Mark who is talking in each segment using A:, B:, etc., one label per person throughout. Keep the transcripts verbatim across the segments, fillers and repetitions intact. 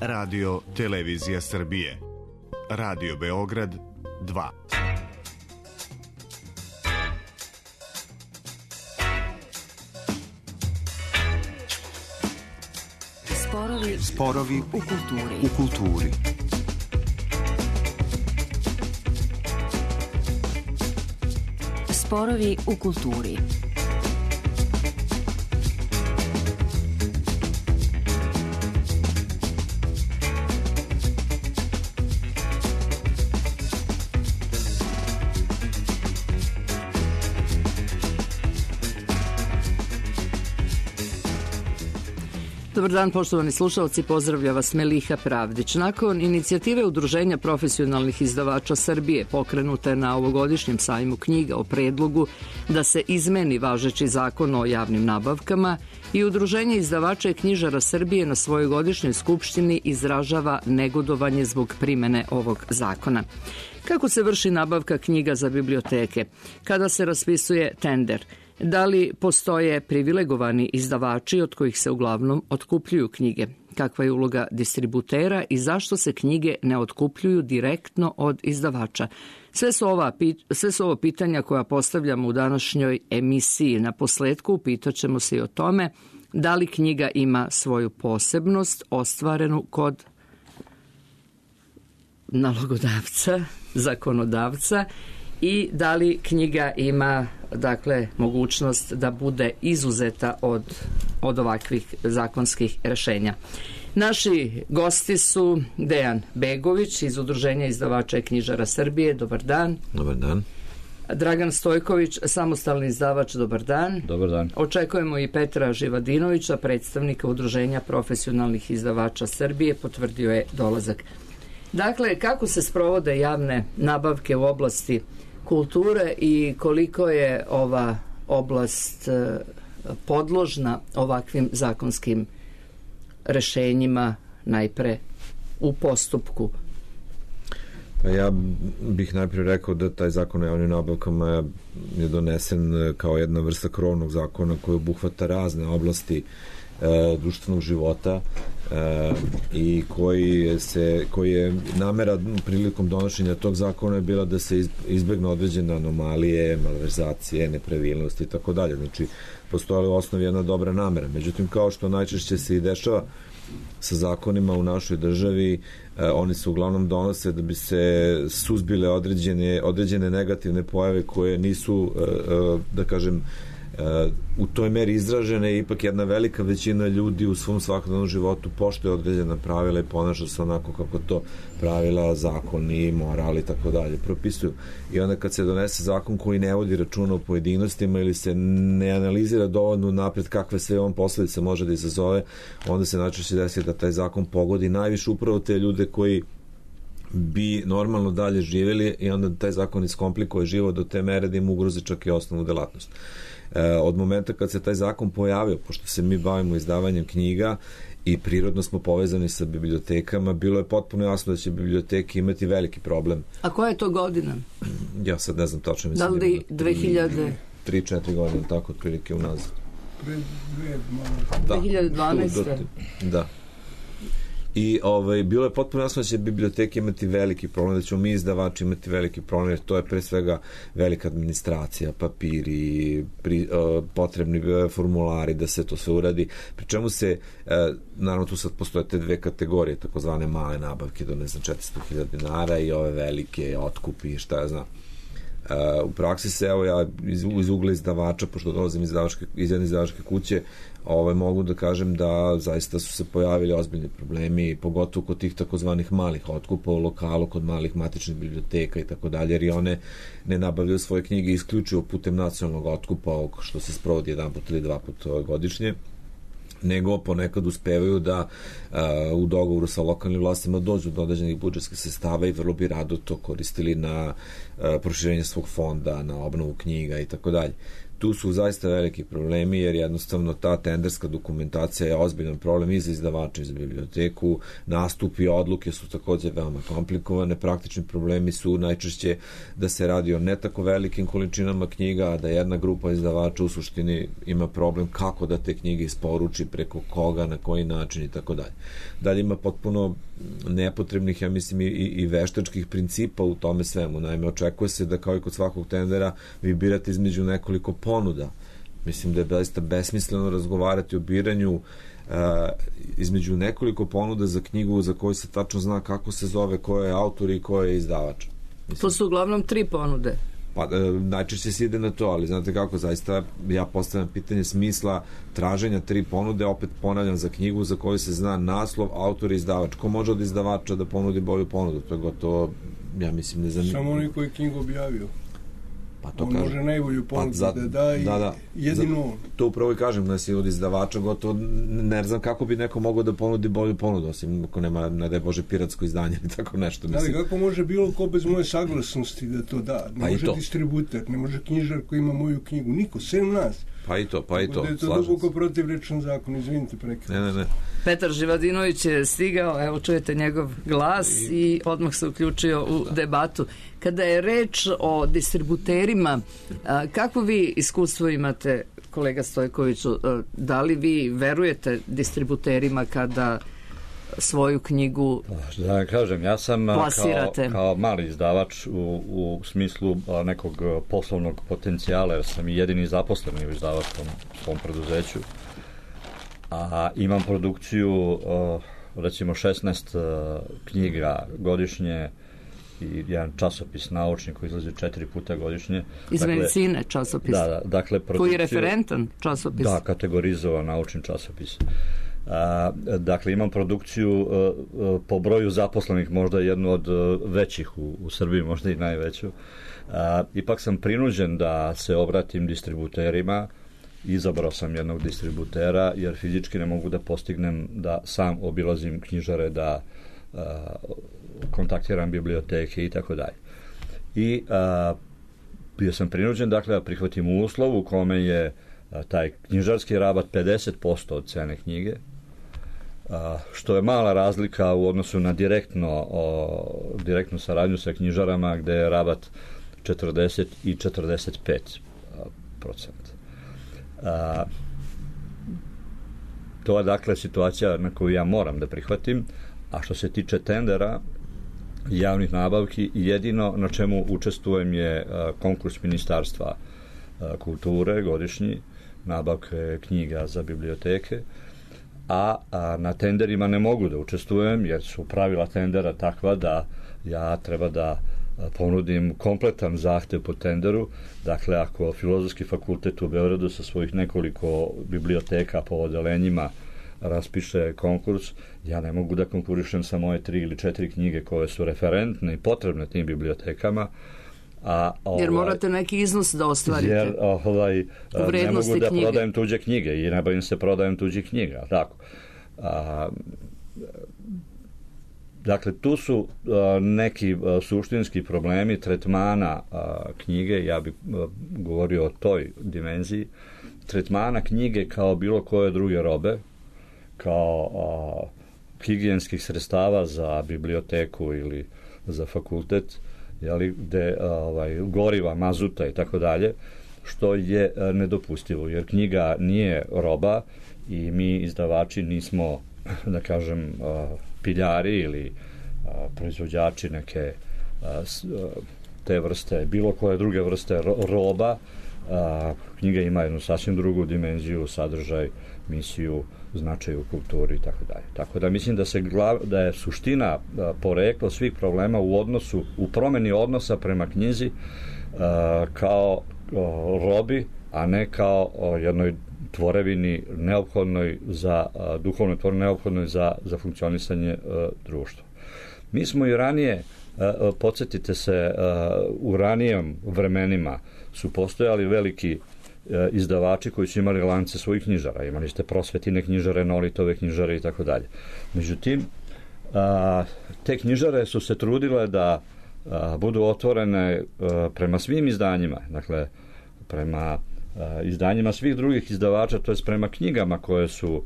A: Radio Televizija Srbije. Radio Beograd dva.
B: Sporovi,
C: Sporovi
B: u kulturi.
C: U kulturi.
B: Sporovi u kulturi.
D: Dobar dan, poštovani slušalci, pozdravlja vas Meliha Pravdić. Nakon inicijative Udruženja profesionalnih izdavača Srbije pokrenute na ovogodišnjem sajmu knjiga o predlogu da se izmeni važeći zakon o javnim nabavkama i Udruženje izdavača i knjižara Srbije na svojoj godišnjoj skupštini izražava negodovanje zbog primene ovog zakona. Kako se vrši nabavka knjiga za biblioteke? Kada se raspisuje tender? Da li postoje privilegovani izdavači od kojih se uglavnom otkupljuju knjige? Kakva je uloga distributera i zašto se knjige ne otkupljuju direktno od izdavača? Sve su, ova, sve su ovo pitanja koja postavljamo u današnjoj emisiji. Na posledku upitaćemo se i o tome da li knjiga ima svoju posebnost ostvarenu kod nalogodavca, zakonodavca i da li knjiga ima, dakle, mogućnost da bude izuzeta od, od ovakvih zakonskih rešenja. Naši gosti su Dejan Begović iz Udruženja izdavača i knjižara Srbije. Dobar dan.
E: Dobar dan.
D: Dragan Stojković, samostalni izdavač. Dobar dan.
E: Dobar dan.
D: Očekujemo i Petra Živadinovića, predstavnika Udruženja profesionalnih izdavača Srbije. Potvrdio je dolazak. Dakle, kako se sprovode javne nabavke u oblasti kulture i koliko je ova oblast podložna ovakvim zakonskim rešenjima najpre u postupku?
E: Pa ja bih najprije rekao da taj zakon o javnim nabavkama je donesen kao jedna vrsta krovnog zakona koji obuhvata razne oblasti e, društvenog života e, i koji, se, koji je namera prilikom donošenja tog zakona je bila da se izbegne određene anomalije, malverzacije, nepravilnosti i tako dalje. Znači, postoji u osnovi jedna dobra namera. Međutim, kao što najčešće se i dešava sa zakonima u našoj državi, eh, oni se uglavnom donose da bi se suzbile određene, određene negativne pojave koje nisu, eh, eh, da kažem, Uh, u toj meri izražene. Ipak jedna velika većina ljudi u svom svakodnevnom životu poštuje određena pravila i ponaša se onako kako to pravila, zakoni, moral i tako dalje propisuju. I onda kad se donese zakon koji ne vodi računa o pojedinostima ili se ne analizira dovoljno napred kakve sve on posledice može da izazove, onda se najčešće desi da taj zakon pogodi najviše upravo te ljude koji bi normalno dalje živjeli i onda taj zakon iskomplikuje život do te mere da im ugrozi čak i osnovnu delatnost. Od momenta kad se taj zakon pojavio, pošto se mi bavimo izdavanjem knjiga i prirodno smo povezani sa bibliotekama, bilo je potpuno jasno da će biblioteke imati veliki problem.
D: A koja je to godina?
E: Ja sad ne znam tačno.
D: Da li dve hiljade?
E: tri četiri godine, tako otprilike unazad.
D: dve hiljade dvanaeste.
E: Da. I ovaj, bilo je potpuno jasno da će biblioteke imati veliki problem, da ćemo mi izdavači imati veliki problem, jer to je pre svega velika administracija, papiri, pri, uh, potrebni formulari da se to sve uradi, pri čemu se, uh, naravno tu sad postoje te dve kategorije, takozvane male nabavke do ne znam četiristo hiljada dinara i ove velike otkupi, šta ja znam. Uh, u praksi se, evo ja iz, iz ugla izdavača, pošto dolazim iz, iz jedne izdavačke kuće, ovaj, mogu da kažem da zaista su se pojavili ozbiljni problemi, pogotovo kod tih takozvanih malih otkupa u lokalu, kod malih matičnih biblioteka i tako dalje, jer i one ne nabavljaju svoje knjige isključivo putem nacionalnog otkupa, što se sprovodi jedan put ili dva put godišnje, nego ponekad uspevaju da uh, u dogovoru sa lokalnim vlastima dođu do određenih budžetskih sredstava i vrlo bi rado to koristili na uh, proširenje svog fonda, na obnovu knjiga i tako dalje. tu su zaista veliki problemi, jer jednostavno ta tenderska dokumentacija je ozbiljan problem i za izdavača i za biblioteku. Nastupi, odluke su takođe veoma komplikovane. Praktični problemi su najčešće da se radi o ne tako velikim količinama knjiga, a da jedna grupa izdavača u suštini ima problem kako da te knjige isporuči, preko koga, na koji način i tako dalje. Dalje ima potpuno nepotrebnih, ja mislim, i, i veštačkih principa u tome svemu. Naime, očekuje se da kao i kod svakog tendera vi birate između nekoliko ponuda. Mislim da je zaista besmisleno razgovarati o biranju uh, između nekoliko ponuda za knjigu za koju se tačno zna kako se zove, ko je autor i ko je izdavač. Mislim,
D: to su uglavnom tri ponude.
E: Pa, najčešće se ide na to, ali znate kako, zaista ja postavljam pitanje smisla traženja tri ponude, opet ponavljam, za knjigu za koju se zna naslov, autor i izdavač. Ko može od izdavača da ponudi bolju ponudu? To je gotovo, ja mislim, ne zanimljivo.
C: Samo onaj koji je knjigu objavio.
E: Pa to
C: on
E: kažem.
C: Može najbolju ponudu
E: pa za,
C: da da i
E: da, da,
C: jedino on.
E: To upravo i kažem, da si od izdavača gotovo, ne znam kako bi neko mogao da ponudi bolju ponudu, osim ako nema, ne daj Bože, piratsko izdanje ili tako nešto.
C: Mislim. Ali kako može bilo ko bez moje saglasnosti da to da? Ne pa može distributer, ne može knjižar koji ima moju knjigu, niko, sem nas.
E: Pa i to, pa i to.
C: Da je to duboko protivrečan zakon, izvinite prekrat.
E: Ne, ne, ne.
D: Petar Živadinović je stigao, evo čujete njegov glas i, i odmah se uključio u da. debatu. Kada je reč o distributerima, a, kako vi iskustvo imate, kolega Stojkoviću, a, da li vi verujete distributerima kada svoju knjigu
F: da ne kažem, ja sam
D: plasirate?
F: Kao, kao mali izdavač u, u smislu nekog poslovnog potencijala, jer sam i jedini zaposleni u izdavačkom svom preduzeću, a imam produkciju recimo šesnaest knjiga godišnje i jedan časopis naučni koji izlazi četiri puta godišnje.
D: Iz
F: dakle,
D: medicine časopis?
F: Da, da, dakle, produkciju,
D: koji je referentan časopis?
F: Da, kategorizovan naučni časopis. A, dakle, imam produkciju a, a, po broju zaposlenih, možda jednu od a, većih u, u Srbiji, možda i najveću. A, ipak sam prinuđen da se obratim distributerima. Izabrao sam jednog distributera, jer fizički ne mogu da postignem da sam obilazim knjižare, da a, kontaktiram biblioteke i tako dalje. I a, bio sam prinuđen, dakle, da prihvatim uslov u kome je a, taj knjižarski rabat pedeset posto od cene knjige, a, što je mala razlika u odnosu na direktno, o, direktnu saradnju sa knjižarama, gde je rabat četrdeset i četrdeset pet procenta. A, to je, dakle, situacija na koju ja moram da prihvatim. A što se tiče tendera, javnih nabavki, jedino na čemu učestvujem je a, konkurs Ministarstva a, kulture, godišnji, nabavke knjiga za biblioteke, a, a na tenderima ne mogu da učestvujem, jer su pravila tendera takva da ja treba da ponudim kompletan zahtev po tenderu. Dakle, ako Filozofski fakultet u Beogradu sa svojih nekoliko biblioteka po odelenjima raspiše konkurs, ja ne mogu da konkurišem sa moje tri ili četiri knjige koje su referentne i potrebne tim bibliotekama. A, ovaj,
D: jer morate neki iznos da ostvarite.
F: Jer ovaj, ne mogu da knjige. Prodajem tuđe knjige i ne bavim se prodajem tuđih knjiga. Tako. A, dakle, tu su a, neki a, suštinski problemi tretmana a, knjige, ja bih a, govorio o toj dimenziji, tretmana knjige kao bilo koje druge robe, kao a, higijenskih sredstava za biblioteku ili za fakultet, jeli, gde a, ovaj, goriva, mazuta i tako dalje, što je a, nedopustivo, jer knjiga nije roba i mi izdavači nismo, da kažem, a, piljari ili a, proizvođači neke a, s, a, te vrste, bilo koje druge vrste ro, roba. A, knjiga ima jednu sasvim drugu dimenziju, sadržaj, misiju, značaj u kulturi i tako dalje. Tako da mislim da se glav, da je suština a, poreklo svih problema u odnosu, u promeni odnosa prema knjizi a, kao a, robi, a ne kao a, jednoj tvorevini neophodnoj za a, duhovnoj tvorevini neophodnoj za, za funkcionisanje a, društva. Mi smo i ranije, a, podsjetite se, a, u ranijem vremenima su postojali veliki a, izdavači koji su imali lance svojih knjižara. Imali ste Prosvetine knjižare, Nolitove knjižare i tako dalje. Međutim, a, te knjižare su se trudile da a, budu otvorene a, prema svim izdanjima, dakle, prema izdanjima svih drugih izdavača, to je prema knjigama koje su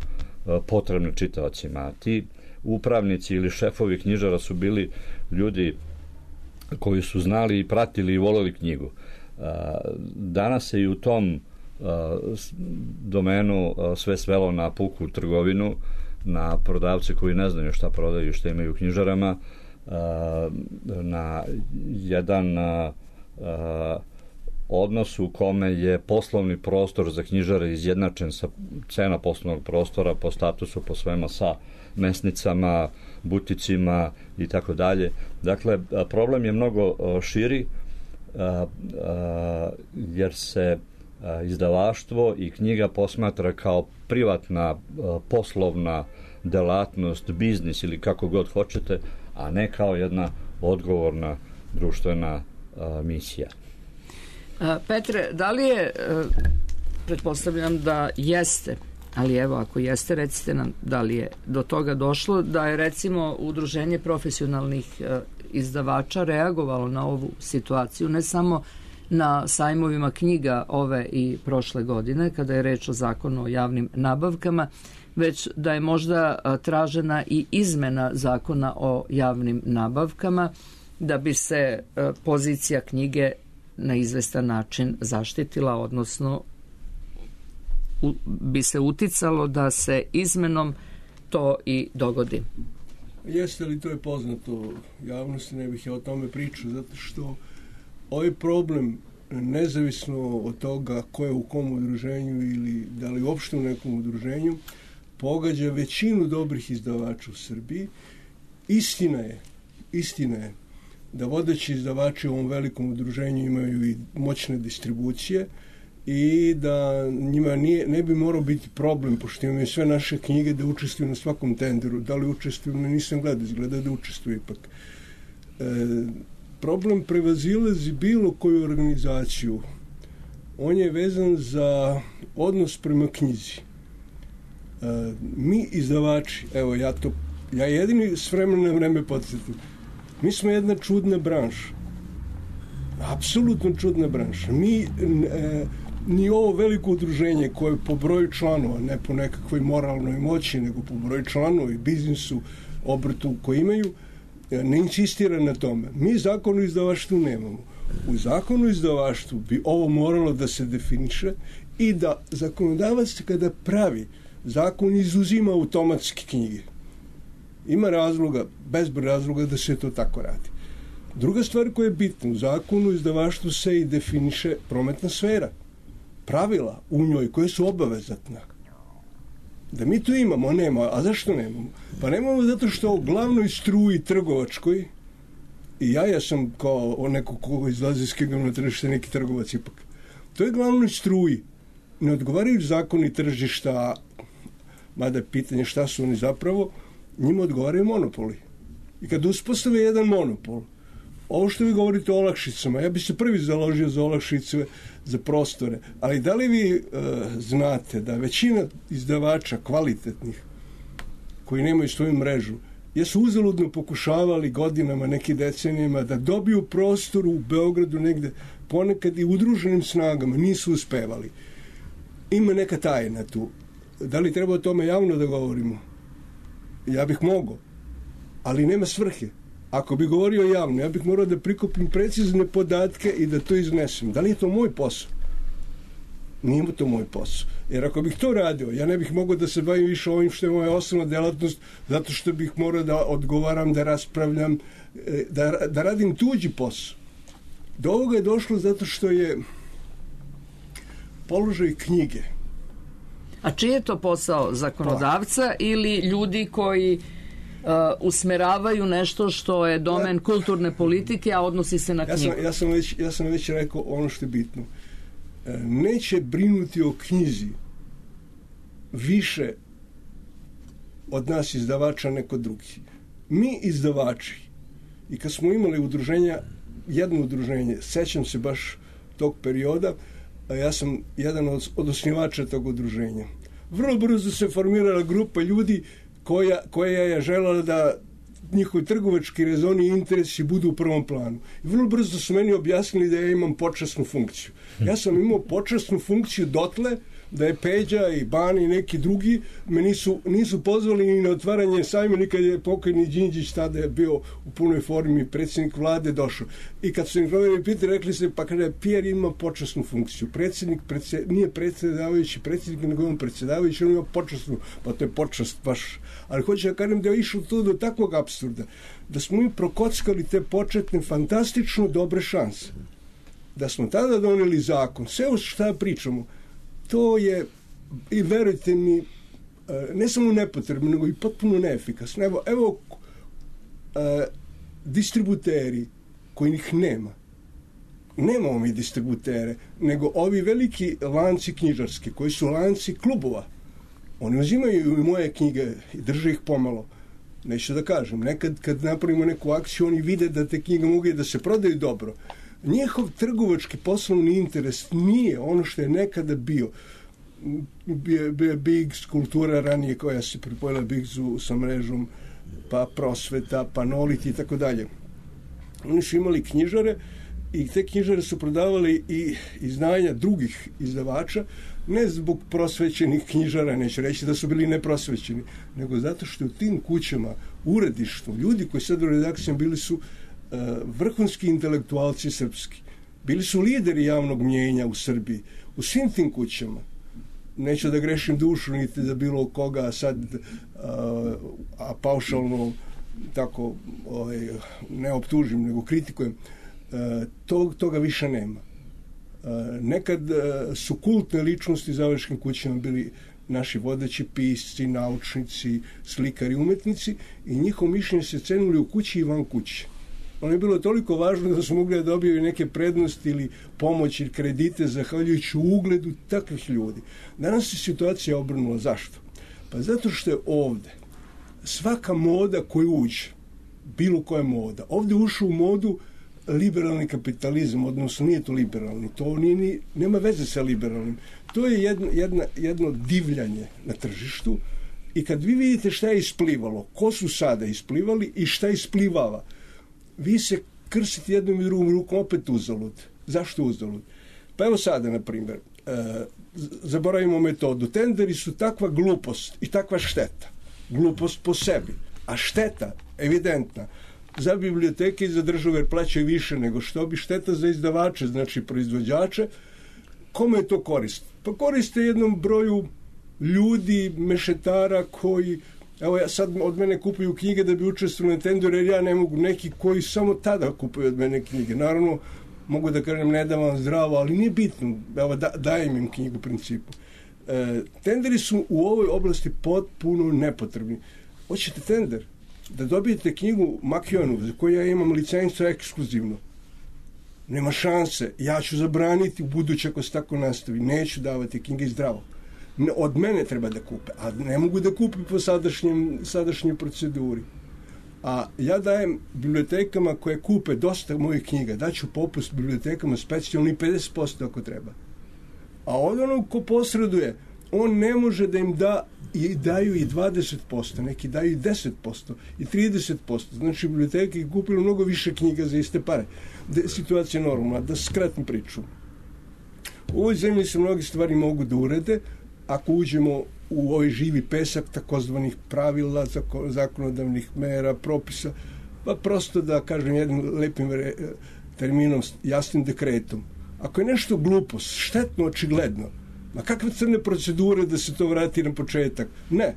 F: potrebne čitaocima. Ti upravnici ili šefovi knjižara su bili ljudi koji su znali i pratili i voleli knjigu. Danas se i u tom domenu sve svelo na puku trgovinu, na prodavce koji ne znaju šta prodaju i šta imaju u knjižarama, na jedan odnos u kome je poslovni prostor za knjižare izjednačen sa cena poslovnog prostora po statusu, po svema sa mesnicama, buticima i tako dalje. Dakle, problem je mnogo širi jer se izdavaštvo i knjiga posmatra kao privatna poslovna delatnost, biznis ili kako god hoćete, a ne kao jedna odgovorna društvena misija.
D: Petre, da li je, pretpostavljam da jeste, ali evo ako jeste, recite nam da li je do toga došlo, da je recimo Udruženje profesionalnih izdavača reagovalo na ovu situaciju, ne samo na sajmovima knjiga ove i prošle godine, kada je reč o zakonu o javnim nabavkama, već da je možda tražena i izmena zakona o javnim nabavkama da bi se pozicija knjige na izvestan način zaštitila, odnosno u, bi se uticalo da se izmenom to i dogodi.
C: Jeste li, to je poznato javnosti, ne bih ja o tome pričao, zato što ovaj problem, nezavisno od toga ko je u kom udruženju ili da li uopšte u nekom udruženju, pogađa većinu dobrih izdavača u Srbiji. Istina je, istina je da vodeći izdavači u ovom velikom udruženju imaju i moćne distribucije i da njima nije, ne bi morao biti problem, pošto imaju sve naše knjige, da učestvuju na svakom tenderu. Da li učestvuju, ne nisam gledao, izgleda da učestvuju ipak. E, problem prevazilazi bilo koju organizaciju. On je vezan za odnos prema knjizi. E, mi izdavači, evo ja to, ja jedini s vremena na vreme podsjetim, mi smo jedna čudna branša. Apsolutno čudna branša. Mi, e, ni ovo veliko udruženje koje po broju članova, ne po nekakvoj moralnoj moći, nego po broju članova i biznisu, obrtu koji imaju, ne insistira na tome. Mi zakon o izdavaštvu nemamo. U zakonu o izdavaštvu bi ovo moralo da se definiše i da zakonodavac kada pravi zakon izuzima automatski knjige. Ima razloga, bezbroj razloga da se to tako radi. Druga stvar koja je bitna, u zakonu o izdavaštvu se i definiše prometna sfera. Pravila u njoj koje su obavezatna. Da mi to imamo, nema. A zašto nemamo? Pa nemamo zato što u glavnoj struji trgovačkoj, i ja, ja sam kao neko koga izlazi skigam na tržište, neki trgovac ipak. To je glavnoj struji. Ne odgovaraju zakoni tržišta, mada je pitanje šta su oni zapravo, njima odgovaraju monopoli. I kad uspostave jedan monopol, ovo što vi govorite o olakšicama, ja bih se prvi založio za olakšice, za prostore, ali da li vi e, znate da većina izdavača kvalitetnih koji nemaju svoju mrežu, jesu uzaludno pokušavali godinama, neki decenijama da dobiju prostor u Beogradu negde, ponekad i udruženim snagama, nisu uspevali. Ima neka tajna tu. Da li treba o tome javno da govorimo? Ja bih mogao, ali nema svrhe. Ako bi govorio javno, ja bih morao da prikupim precizne podatke i da to iznesem. Da li je to moj posao? Nije to moj posao. Jer ako bih to radio, ja ne bih mogao da se bavim više ovim što je moja osnovna delatnost, zato što bih morao da odgovaram, da raspravljam, da, da radim tuđi posao. Do ovoga je došlo zato što je položaj knjige.
D: A čiji je to posao? Zakonodavca ili ljudi koji Uh, usmeravaju nešto što je domen ja, kulturne politike, a odnosi se na knjigu?
C: Ja sam, ja sam, već, ja sam već rekao ono što je bitno. E, neće brinuti o knjizi više od nas izdavača neko drugi. Mi izdavači, i kad smo imali udruženja, jedno udruženje, sećam se baš tog perioda, a ja sam jedan od, od osnivača tog udruženja. Vrlo brzo se formirala grupa ljudi koja, koja je želela da njihovi trgovački rezoni i interesi budu u prvom planu. I vrlo brzo su meni objasnili da ja imam počasnu funkciju. Ja sam imao počasnu funkciju dotle da je Peđa i Bani i neki drugi me nisu, nisu pozvali ni na otvaranje sajma, nikad je pokojni Đinđić, tada je bio u punoj formi predsjednik vlade, došao. I kad su im provjerili pitali, rekli se, pa kada Pierre ima počasnu funkciju, predsjednik predsjed, nije predsjedavajući predsjednik, nego on predsjedavajući, on ima počasnu, pa to je počast baš. Ali hoću da kažem da je išlo to do takvog apsurda, da smo mi prokockali te početne fantastično dobre šanse. Da smo tada doneli zakon, sve o šta pričamo, to je, i verujte mi, ne samo nepotrebno, nego i potpuno neefikasno. Evo, evo e, distributeri kojih nema. Nemamo mi distributere, nego ovi veliki lanci knjižarski, koji su lanci klubova. Oni uzimaju i moje knjige i drže ih pomalo. Neću da kažem, nekad kad napravimo neku akciju, oni vide da te knjige mogu da se prodaju dobro. Njihov trgovački poslovni interes nije ono što je nekada bio. Bio je Biggs, kultura ranije koja se pripojila Biggsu sa mrežom, pa Prosveta, pa Nolit i tako dalje. Oni su imali knjižare i te knjižare su prodavali i izdanja drugih izdavača, ne zbog prosvećenih knjižara, neću reći da su bili neprosvećeni, nego zato što u tim kućama, uredištu, ljudi koji sad u redakcijama bili su uh, vrhunski intelektualci srpski. Bili su lideri javnog mnjenja u Srbiji. U svim tim kućama. Neću da grešim dušu, niti da bilo koga sad uh, a paušalno tako ovaj, ne optužim, nego kritikujem. Uh, tog, toga više nema. Uh, nekad uh, su kultne ličnosti za završkim kućama bili naši vodeći pisci, naučnici, slikari, umetnici i njihovo mišljenje se cenuli u kući i van kuće. Ono je bilo toliko važno da su mogli da dobiju neke prednosti ili pomoć ili kredite zahvaljujući ugledu takvih ljudi. Danas se situacija obrnula. Zašto? Pa zato što je ovde svaka moda koja uđe, bilo koja moda, ovde ušao u modu liberalni kapitalizam, odnosno nije to liberalni, to nije, ni, nema veze sa liberalnim. To je jedno, jedna, jedno divljanje na tržištu i kad vi vidite šta je isplivalo, ko su sada isplivali i šta isplivava, vi se krsite jednom i drugom rukom opet uzalud. Zašto uzalud? Pa evo sada, na primjer, e, zaboravimo metodu. Tenderi su takva glupost i takva šteta. Glupost po sebi. A šteta, evidentna, za biblioteke i za državu jer plaćaju više nego što bi, šteta za izdavače, znači proizvođače. Kome je to korist? Pa koriste jednom broju ljudi, mešetara koji, evo ja sad od mene kupuju knjige da bi učestvovali na tenderu, jer ja ne mogu, neki koji samo tada kupuju od mene knjige. Naravno, mogu da kažem ne dam vam zdravo, ali nije bitno, evo da, dajem im knjigu u principu. E, tenderi su u ovoj oblasti potpuno nepotrebni. Hoćete tender? Da dobijete knjigu Makionu, za koju ja imam licencu ekskluzivno. Nema šanse. Ja ću zabraniti u buduće ako se tako nastavi. Neću davati knjige zdravo. Od mene treba da kupe, a ne mogu da kupim po sadašnjem, sadašnjoj proceduri. A ja dajem bibliotekama koje kupe dosta mojih knjiga, daću popust bibliotekama specijalni pedeset posto ako treba. A od onog ko posreduje, on ne može da im da i daju i dvadeset posto, neki daju i deset posto i trideset posto. Znači biblioteke je kupilo mnogo više knjiga za iste pare. Da je situacija normalna, da skratim priču. U ovoj zemlji se mnogi stvari mogu da urede ako uđemo u ovaj živi pesak takozvanih pravila, zakonodavnih mera, propisa, pa prosto da kažem jednim lepim terminom, jasnim dekretom. Ako je nešto glupost, štetno, očigledno, ma kakve crne procedure da se to vrati na početak? Ne.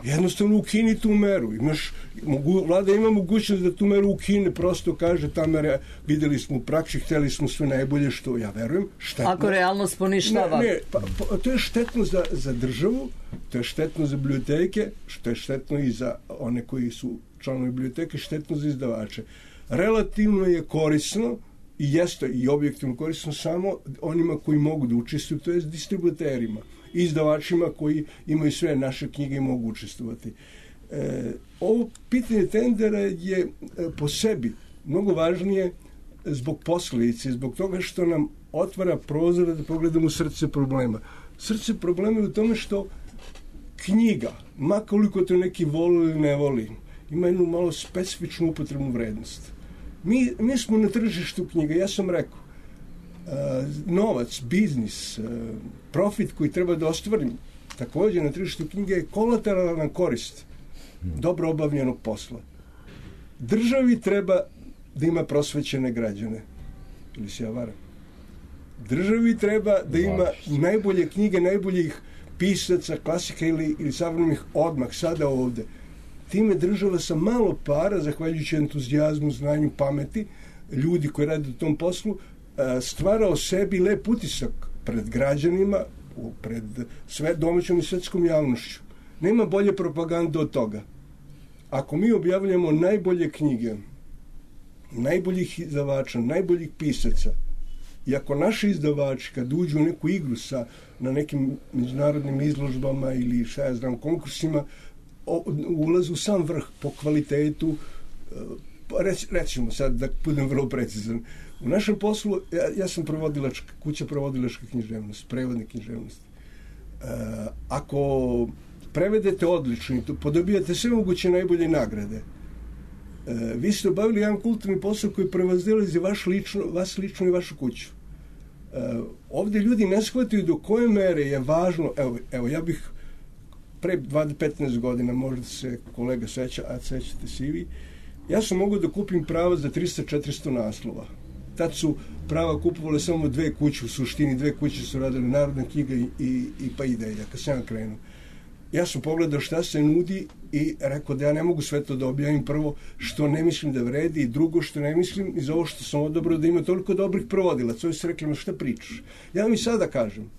C: Jednostavno ukini tu meru. Imaš, mogu, vlada ima mogućnost da tu meru ukine, prosto kaže ta mera, videli smo u praksi, hteli smo sve najbolje, što ja verujem, štetno.
D: Ako realnost poništava.
C: Ne, ne pa, pa, to je štetno za, za državu, to je štetno za biblioteke, što je štetno i za one koji su članovi biblioteke, štetno za izdavače. Relativno je korisno i jeste i objektivno korisno samo onima koji mogu da učestvuju, to je distributerima i izdavačima koji imaju sve naše knjige i mogu učestvovati. E, ovo pitanje tendera je e, po sebi mnogo važnije zbog posljedice, zbog toga što nam otvara prozor da pogledamo srce problema. Srce problema je u tome što knjiga, ma koliko to neki voli ili ne voli, ima jednu malo specifičnu upotrebnu vrednost. Mi, mi smo na tržištu knjiga, ja sam rekao, uh, novac, biznis, uh, profit koji treba da ostvarim također na tržištu knjige je kolateralna korist dobro obavljenog posla. Državi treba da ima prosvećene građane. Ili se ja varam? Državi treba da ima najbolje knjige, najboljih pisaca, klasika ili, ili savremenih odmah, sada ovde. Time država sa malo para, zahvaljujući entuzijazmu, znanju, pameti, ljudi koji rade u tom poslu, stvara o sebi lep utisak pred građanima, pred sve domaćom i svetskom javnošću. Nema bolje propagande od toga. Ako mi objavljamo najbolje knjige, najboljih izdavača, najboljih pisaca, i ako naši izdavači kad uđu u neku igru sa, na nekim međunarodnim izložbama ili šta ja znam, konkursima, ulazu u sam vrh po kvalitetu, reć, rećemo sad da budem vrlo precizan. U našem poslu, ja, ja sam prevodilačka, kuća prevodilačka književnost, prevodne književnosti. E, ako prevedete odlično, podobijate sve moguće najbolje nagrade, e, vi ste obavili jedan kulturni posao koji prevazilazi vaš lično, vas lično i vašu kuću. E, ovdje ljudi ne shvataju do koje mere je važno, evo, evo ja bih pre dvadeset do petnaest godina, možda se kolega seća, a sećate se i vi, ja sam mogao da kupim prava za trista do četiristo naslova. Tad su prava kupovale samo dve kuće, u suštini dve kuće su radile Narodna knjiga i, i, i pa Ideja, kad sam ja krenuo. Ja sam pogledao šta se nudi i rekao da ja ne mogu sve to da objavim, prvo što ne mislim da vredi i drugo što ne mislim iz ovo što sam odabrao da ima toliko dobrih prevodilaca. Ovi su rekli, no šta pričaš? Ja vam i sada kažem,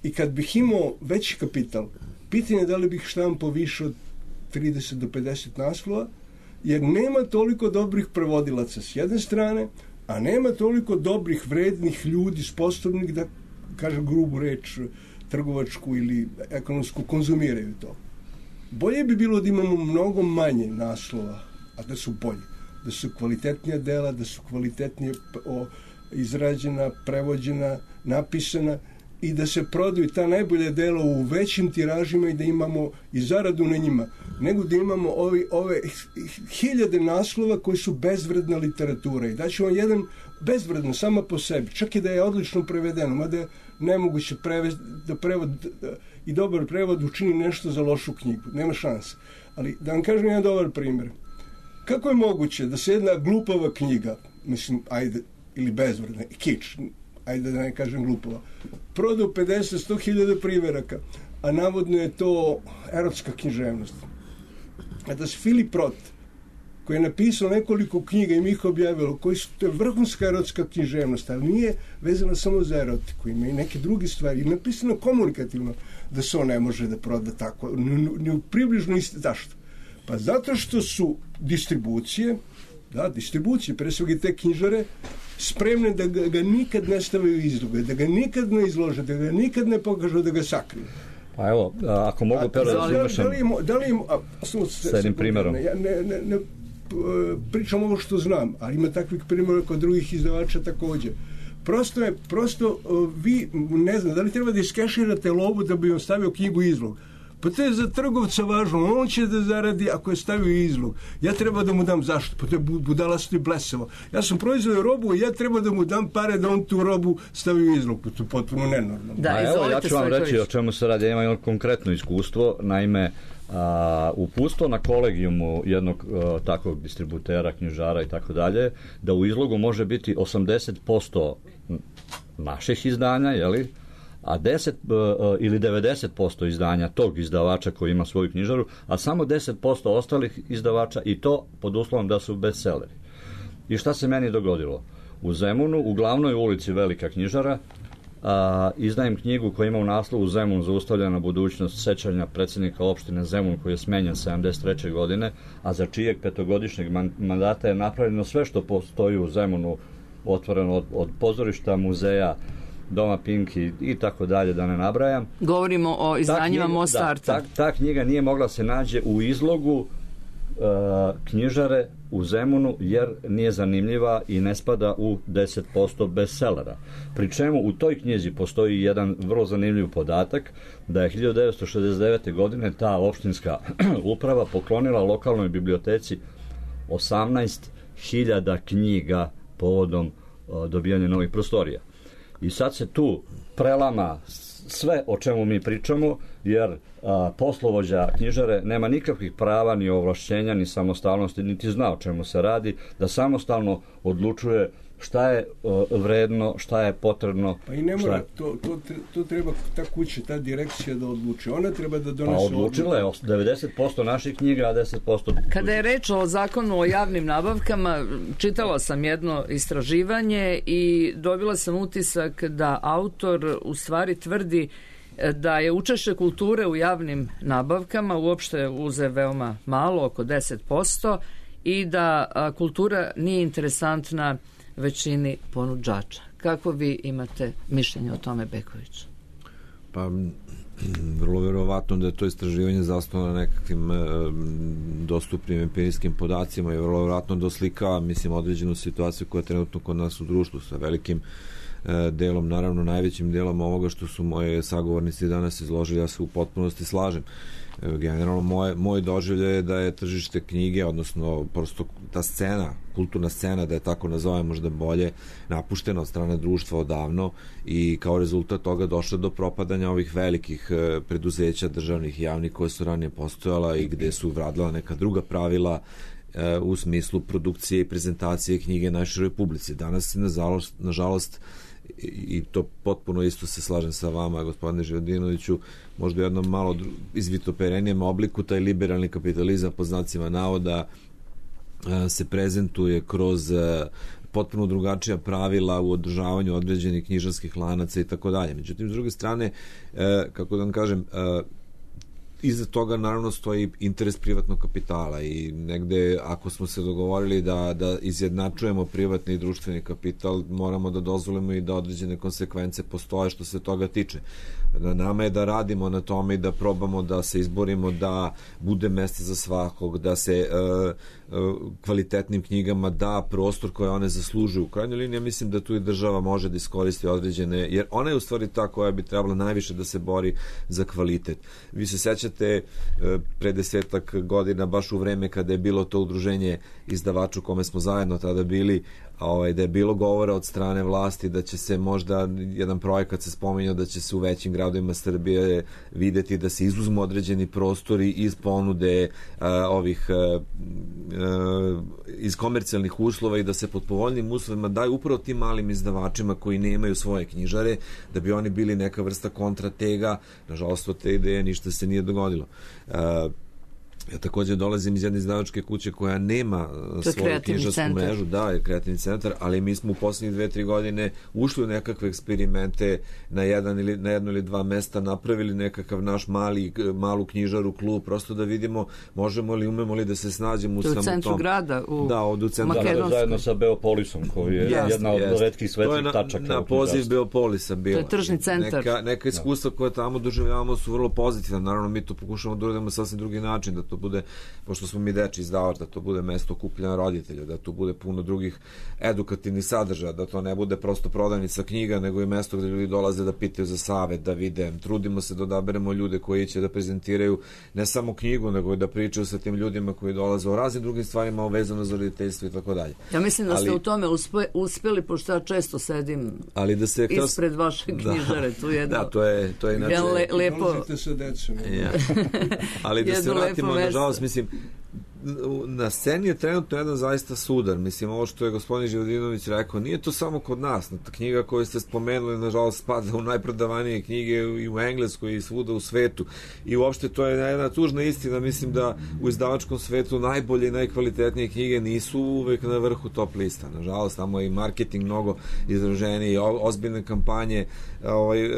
C: i kad bih imao veći kapital, pitanje je da li bih štampao više od trideset do pedeset naslova, jer nema toliko dobrih prevodilaca s jedne strane, a nema toliko dobrih, vrednih ljudi, sposobnih da, kažem grubu reč, trgovačku ili ekonomsku, konzumiraju to. Bolje bi bilo da imamo mnogo manje naslova, a da su bolji, da su kvalitetnija dela, da su kvalitetnije o, izrađena, prevođena, napisana i da se prodaju ta najbolja dela u većim tiražima i da imamo i zaradu na njima, nego da imamo ovi, ove hiljade naslova koji su bezvredna literatura. I daću vam jedan bezvredno sama po sebi, čak i da je odlično prevedeno, mada je nemoguće prevesti, da prevod i dobar prevod učini nešto za lošu knjigu. Nema šanse. Ali da vam kažem jedan dobar primjer. Kako je moguće da se jedna glupava knjiga, mislim, ajde, ili bezvredna, kič, ajde da ne kažem glupava, proda u pedeset do sto hiljada primjeraka, a navodno je to erotska književnost. A da se Filip Roth, koji je napisao nekoliko knjiga i mi ih objavilo, koji su, to je vrhunska erotska književnost, ali nije vezana samo za erotiku, ima i neke druge stvari, i napisano komunikativno, da se on ne može da proda tako, ni u približno isti. Zašto? Pa zato što su distribucije, da, distribucije, pre svega te knjižare, spremne da ga, ga nikad ne stavaju izloge, da ga nikad ne izlože, da ga nikad ne pokažu, da ga sakriju.
F: Pa evo, ako mogu pero da završam
C: da li im,
F: s jednim primjerom.
C: Ja ne, ne, ne pričam ovo što znam, ali ima takvih primjera kod drugih izdavača također. Prosto je, prosto vi, ne znam, da li treba da iskeširate lovu da bi on stavio knjigu izlog? Pa to je za trgovca važno, on će da zaradi ako je stavio izlog. Ja treba da mu dam zašto? Pa to je budalasto i blesavo. Ja sam proizvodio robu i ja treba da mu dam pare da on tu robu stavi u izlog. Pa to je potpuno nenormalno.
F: Da, evo, ja ću vam reći o čemu se radi. Ja imam jedno konkretno iskustvo. Naime, a, upustvo na kolegijumu jednog a, takvog distributera, knjižara i tako dalje, da u izlogu može biti osamdeset posto naših izdanja, jeli? A deset ili devedeset posto izdanja tog izdavača koji ima svoju knjižaru, a samo deset posto ostalih izdavača, i to pod uslovom da su bestselleri. I šta se meni dogodilo? U Zemunu, u glavnoj ulici velika knjižara, a, izdajem knjigu koja ima u naslovu Zemun zaustavljena budućnost sećanja predsjednika opštine Zemun koji je smenjen sedamdeset treće godine, a za čijeg petogodišnjeg mandata je napravljeno sve što postoji u Zemunu, otvoreno od, od pozorišta, muzeja, Doma Pinki i tako dalje, da ne nabrajam.
D: Govorimo o izdanjima Mostarta.
F: Ta, ta, ta knjiga nije mogla se nađe u izlogu knjižare u Zemunu jer nije zanimljiva i ne spada u deset posto bestsellera. Pri čemu u toj knjizi postoji jedan vrlo zanimljiv podatak da je hiljadu devetsto šezdeset devete. godine ta opštinska uprava poklonila lokalnoj biblioteci osamnaest hiljada knjiga povodom dobijanja novih prostorija. I sad se tu prelama sve o čemu mi pričamo, jer a, poslovođa knjižare nema nikakvih prava, ni ovlašćenja, ni samostalnosti, niti zna o čemu se radi, da samostalno odlučuje šta je uh, vredno, šta je potrebno.
C: Pa i ne mora, to, to, to treba ta kuća, ta direkcija da odluči. Ona treba da donese odluku.
F: Pa odlučila je devedeset posto naših knjiga, a deset posto...
D: Kada je reč o zakonu o javnim nabavkama, čitala sam jedno istraživanje i dobila sam utisak da autor u stvari tvrdi da je učešće kulture u javnim nabavkama uopšte uze veoma malo, oko deset posto, i da a, kultura nije interesantna većini ponuđača. Kako vi imate mišljenje o tome, Beković?
E: Pa, vrlo verovatno da je to istraživanje zasnovano na nekakvim e, dostupnim empirijskim podacima i vrlo verovatno da oslikava, mislim, određenu situaciju koja je trenutno kod nas u društvu sa velikim e, delom, naravno najvećim delom ovoga što su moje sagovornici danas izložili, ja se u potpunosti slažem. Generalno moje, moj doživljaj je da je tržište knjige, odnosno prosto ta scena, kulturna scena, da je tako nazovem možda bolje, napuštena od strane društva odavno i kao rezultat toga došlo do propadanja ovih velikih e, preduzeća državnih i javnih koje su ranije postojala i gde su vradila neka druga pravila e, u smislu produkcije i prezentacije knjige našoj Republici. Danas se nažalost, nažalost i to potpuno isto se slažem sa vama, gospodine Živodinoviću, možda u jednom malo izvitoperenijem obliku taj liberalni kapitalizam pod znacima navoda se prezentuje kroz potpuno drugačija pravila u održavanju određenih knjižarskih lanaca i tako dalje. Međutim, s druge strane, kako da vam kažem, iza toga naravno stoji interes privatnog kapitala i negde ako smo se dogovorili da, da izjednačujemo privatni i društveni kapital, moramo da dozvolimo i da određene konsekvence postoje što se toga tiče. Na nama je da radimo na tome i da probamo da se izborimo da bude mesta za svakog, da se uh, uh, kvalitetnim knjigama da prostor koje one zaslužuju. U krajnjoj liniji ja mislim da tu i država može da iskoristi određene, jer ona je u stvari ta koja bi trebala najviše da se bori za kvalitet. Vi se sećate uh, pre desetak godina, baš u vreme kada je bilo to udruženje izdavača u kome smo zajedno tada bili, ovaj, da je bilo govora od strane vlasti da će se možda, jedan projekat se spominjao da će se u većim gradovima Srbije videti da se izuzmu određeni prostori iz ponude uh, ovih uh, uh, iz komercijalnih uslova i da se pod povoljnim uslovima daju upravo tim malim izdavačima koji nemaju svoje knjižare, da bi oni bili neka vrsta kontratega. Nažalost, od te ideje ništa se nije dogodilo. Uh, Ja također dolazim iz jedne izdavačke kuće koja nema svoju knjižarsku mrežu, da, je kreativni centar, ali mi smo u posljednjih dve, tri godine ušli u nekakve eksperimente na jedan ili na jedno ili dva mesta, napravili nekakav naš mali, malu knjižaru, klub, prosto da vidimo možemo li, umemo li da se snađemo u samom tom.
D: U centru grada, u
E: da, od u centru
F: grada. Zajedno sa Beopolisom, koji je yes, jedna od yes. retkih svetlih tačaka.
E: To je na, na poziv Beopolisa bio.
D: To je tržni centar.
E: Neka, neka iskustva koje tamo doživljavamo su vrlo pozitivna. Naravno, mi to pokušamo da uradimo sasvim drugi način, da to bude, pošto smo mi deči izdavač, da to bude mesto okupljanja roditelja, da to bude puno drugih edukativnih sadržaja, da to ne bude prosto prodavnica knjiga, nego i mesto gde ljudi dolaze da pitaju za savet, da vide. Trudimo se da odaberemo ljude koji će da prezentiraju ne samo knjigu, nego i da pričaju sa tim ljudima koji dolaze o raznim drugim stvarima vezano za roditeljstvo i tako dalje.
D: Ja mislim da ste ali, u tome uspe, uspeli, pošto ja često sedim
E: ali da se kroz...
D: ispred vaše knjižare. Tu je
E: da, to je, to je inače...
D: Le, lepo...
C: Dolazite sa decom.
E: Ja. Ali da se vratimo, nažalost, mislim, na sceni je trenutno jedan zaista sudar. Mislim, ovo što je gospodin Živodinović rekao, nije to samo kod nas. Knjiga koju ste spomenuli, nažalost, spada u najprodavanije knjige i u Engleskoj i svuda u svetu. I uopšte to je jedna tužna istina. Mislim da u izdavačkom svetu najbolje i najkvalitetnije knjige nisu uvek na vrhu top lista. Nažalost, tamo je i marketing mnogo izraženiji, ozbiljne kampanje ovaj,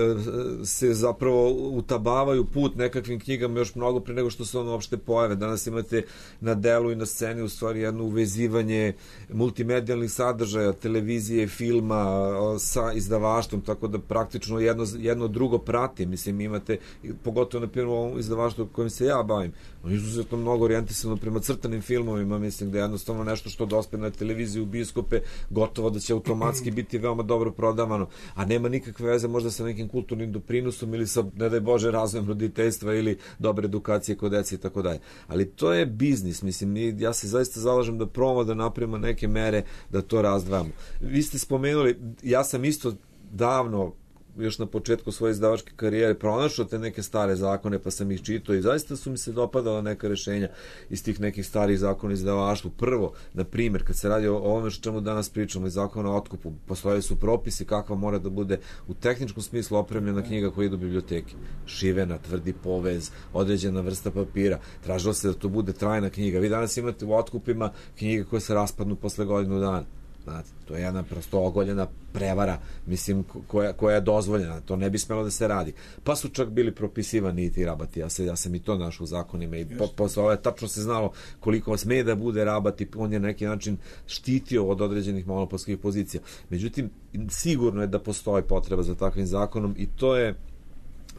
E: se zapravo utabavaju put nekakvim knjigama još mnogo pre nego što se ono uopšte pojave. Danas imate na delu i na sceni u stvari jedno uvezivanje multimedijalnih sadržaja, televizije, filma sa izdavaštvom, tako da praktično jedno, jedno drugo prati. Mislim, imate, pogotovo na primjer u ovom izdavaštvu kojim se ja bavim, on je izuzetno mnogo orijentisano prema crtanim filmovima, mislim da je jednostavno nešto što dospe na televiziju, bioskope, gotovo da će automatski biti veoma dobro prodavano, a nema nikakve veze možda sa nekim kulturnim doprinosom ili sa, ne daj Bože, razvojem roditeljstva ili dobre edukacije kod dece i tako dalje. Ali to je biznis, mislim, ja se zaista zalažem da probamo da napravimo neke mere da to razdvajamo. Vi ste spomenuli, ja sam isto davno, još na početku svoje izdavačke karijere, pronašao te neke stare zakone, pa sam ih čitao i zaista su mi se dopadala neka rešenja iz tih nekih starih zakona izdavaštvu. Prvo, na primjer, kad se radi o ovome što čemu danas pričamo, iz zakona o otkupu, postojali su propisi kakva mora da bude u tehničkom smislu opremljena knjiga koja ide u biblioteki. Šivena, tvrdi povez, određena vrsta papira. Tražilo se da to bude trajna knjiga. Vi danas imate u otkupima knjige koje se raspadnu posle godinu dana. Znate, to je jedna prosto ogoljena prevara, mislim, koja, koja je dozvoljena, to ne bi smelo da se radi. Pa su čak bili propisivani i ti rabati, ja, se, ja sam i to našao u zakonima i po, posle ove tačno se znalo koliko sme da bude rabati, on je na neki način štitio od određenih monopolskih pozicija. Međutim, sigurno je da postoji potreba za takvim zakonom i to je,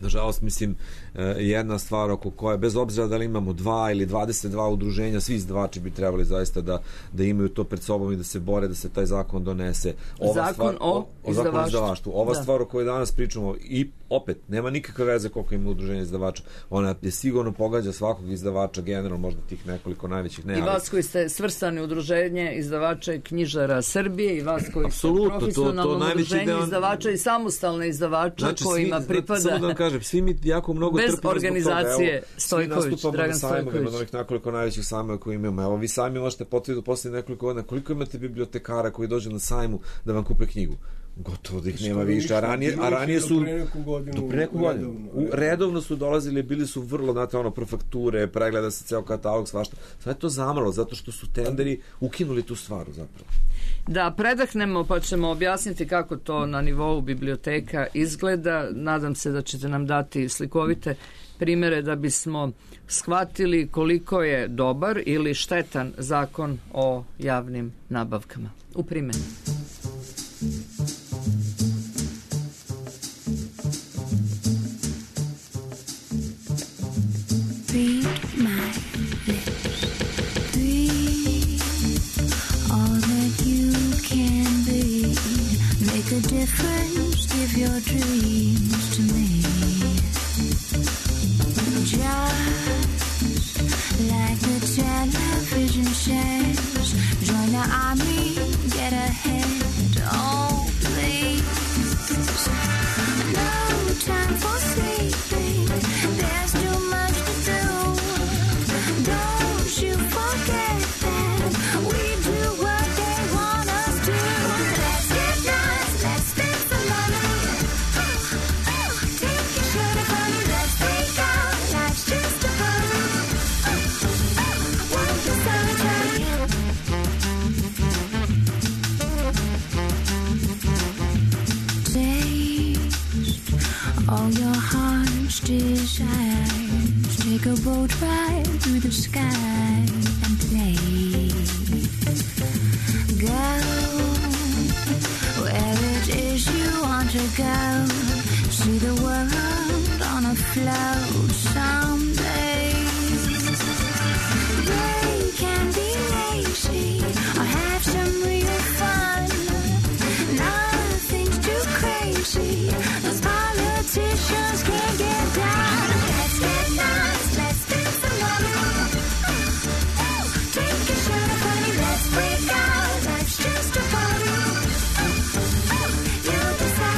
E: nažalost, mislim, jedna stvar oko koje, bez obzira da li imamo dva ili dvadeset dva udruženja, svi izdavači bi trebali zaista da, da imaju to pred sobom i da se bore da se taj zakon donese. Ova
D: zakon
E: stvar,
D: o,
E: o, o zakon izdavaštvu. Ova da. stvar o kojoj danas pričamo i opet, nema nikakve veze koliko ima udruženja izdavača. Ona je sigurno pogađa svakog izdavača, generalno možda tih nekoliko najvećih. Ne,
D: I vas koji ste svrstani udruženje izdavača i knjižara Srbije i vas koji ste profesionalno udruženje deo... izdavača i samostalne izdavača znači, kojima svi, pripada... Samo da vam kažem, svi mi jako mnogo bez
E: trpimo
D: organizacije
E: Evo,
D: Stojković, Dragan Stojković.
E: Od onih nekoliko najvećih sajmova koji imamo. Evo, vi sami možete potvrditi posle nekoliko godina koliko imate bibliotekara koji dođu na sajmu da vam kupe knjigu. Gotovo da ih nema više, a ranije, a ranije su do pre neku godinu redovno su dolazili, bili su vrlo, znate, ono, profakture, pregleda se ceo katalog, svašta. Sad je to zamrlo, zato što su tenderi ukinuli tu stvar zapravo.
D: Da predahnemo pa ćemo objasniti kako to na nivou biblioteka izgleda. Nadam se da ćete nam dati slikovite primere da bismo shvatili koliko je dobar ili štetan zakon o javnim nabavkama. U primjeni.
G: Read my lips. Breathe all that you can be. Make a difference, give your dreams to me. Just like the television says, join the army, get ahead. Oh, please. No time for sleeping. There's too much to do. Don't you forget that we do what they want us to. Let's get nice, let's spend some money. Take your shirt off, honey, let's take out. Life's just a party. Won't you celebrate? All your heart's desires. Take a boat ride through the sky and play. Go where it is you want to go. See the world on a float someday. They can be lazy or have some real fun. Nothing's too crazy. Those politicians can't get down. Let's get nice, let's spend some money. Take your shirt off, honey, let's break out. Life's just a party. You'll decide.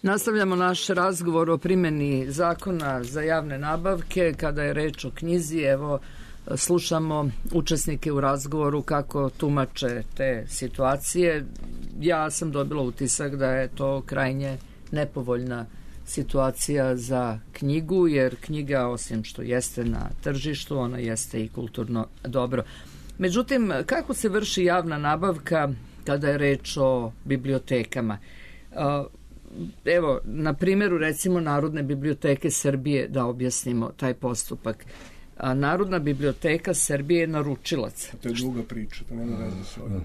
D: Nastavljamo naš razgovor o primjeni zakona za javne nabavke. Kada je reč o knjizi, evo, slušamo učesnike u razgovoru kako tumače te situacije. Ja sam dobila utisak da je to krajnje nepovoljna situacija za knjigu, jer knjiga, osim što jeste na tržištu, ona jeste i kulturno dobro. Međutim, kako se vrši javna nabavka kada je reč o bibliotekama? Evo, na primjeru recimo Narodne biblioteke Srbije, da objasnimo taj postupak. A Narodna biblioteka Srbije je naručilac.
C: To je druga priča, to nema veze s ovim.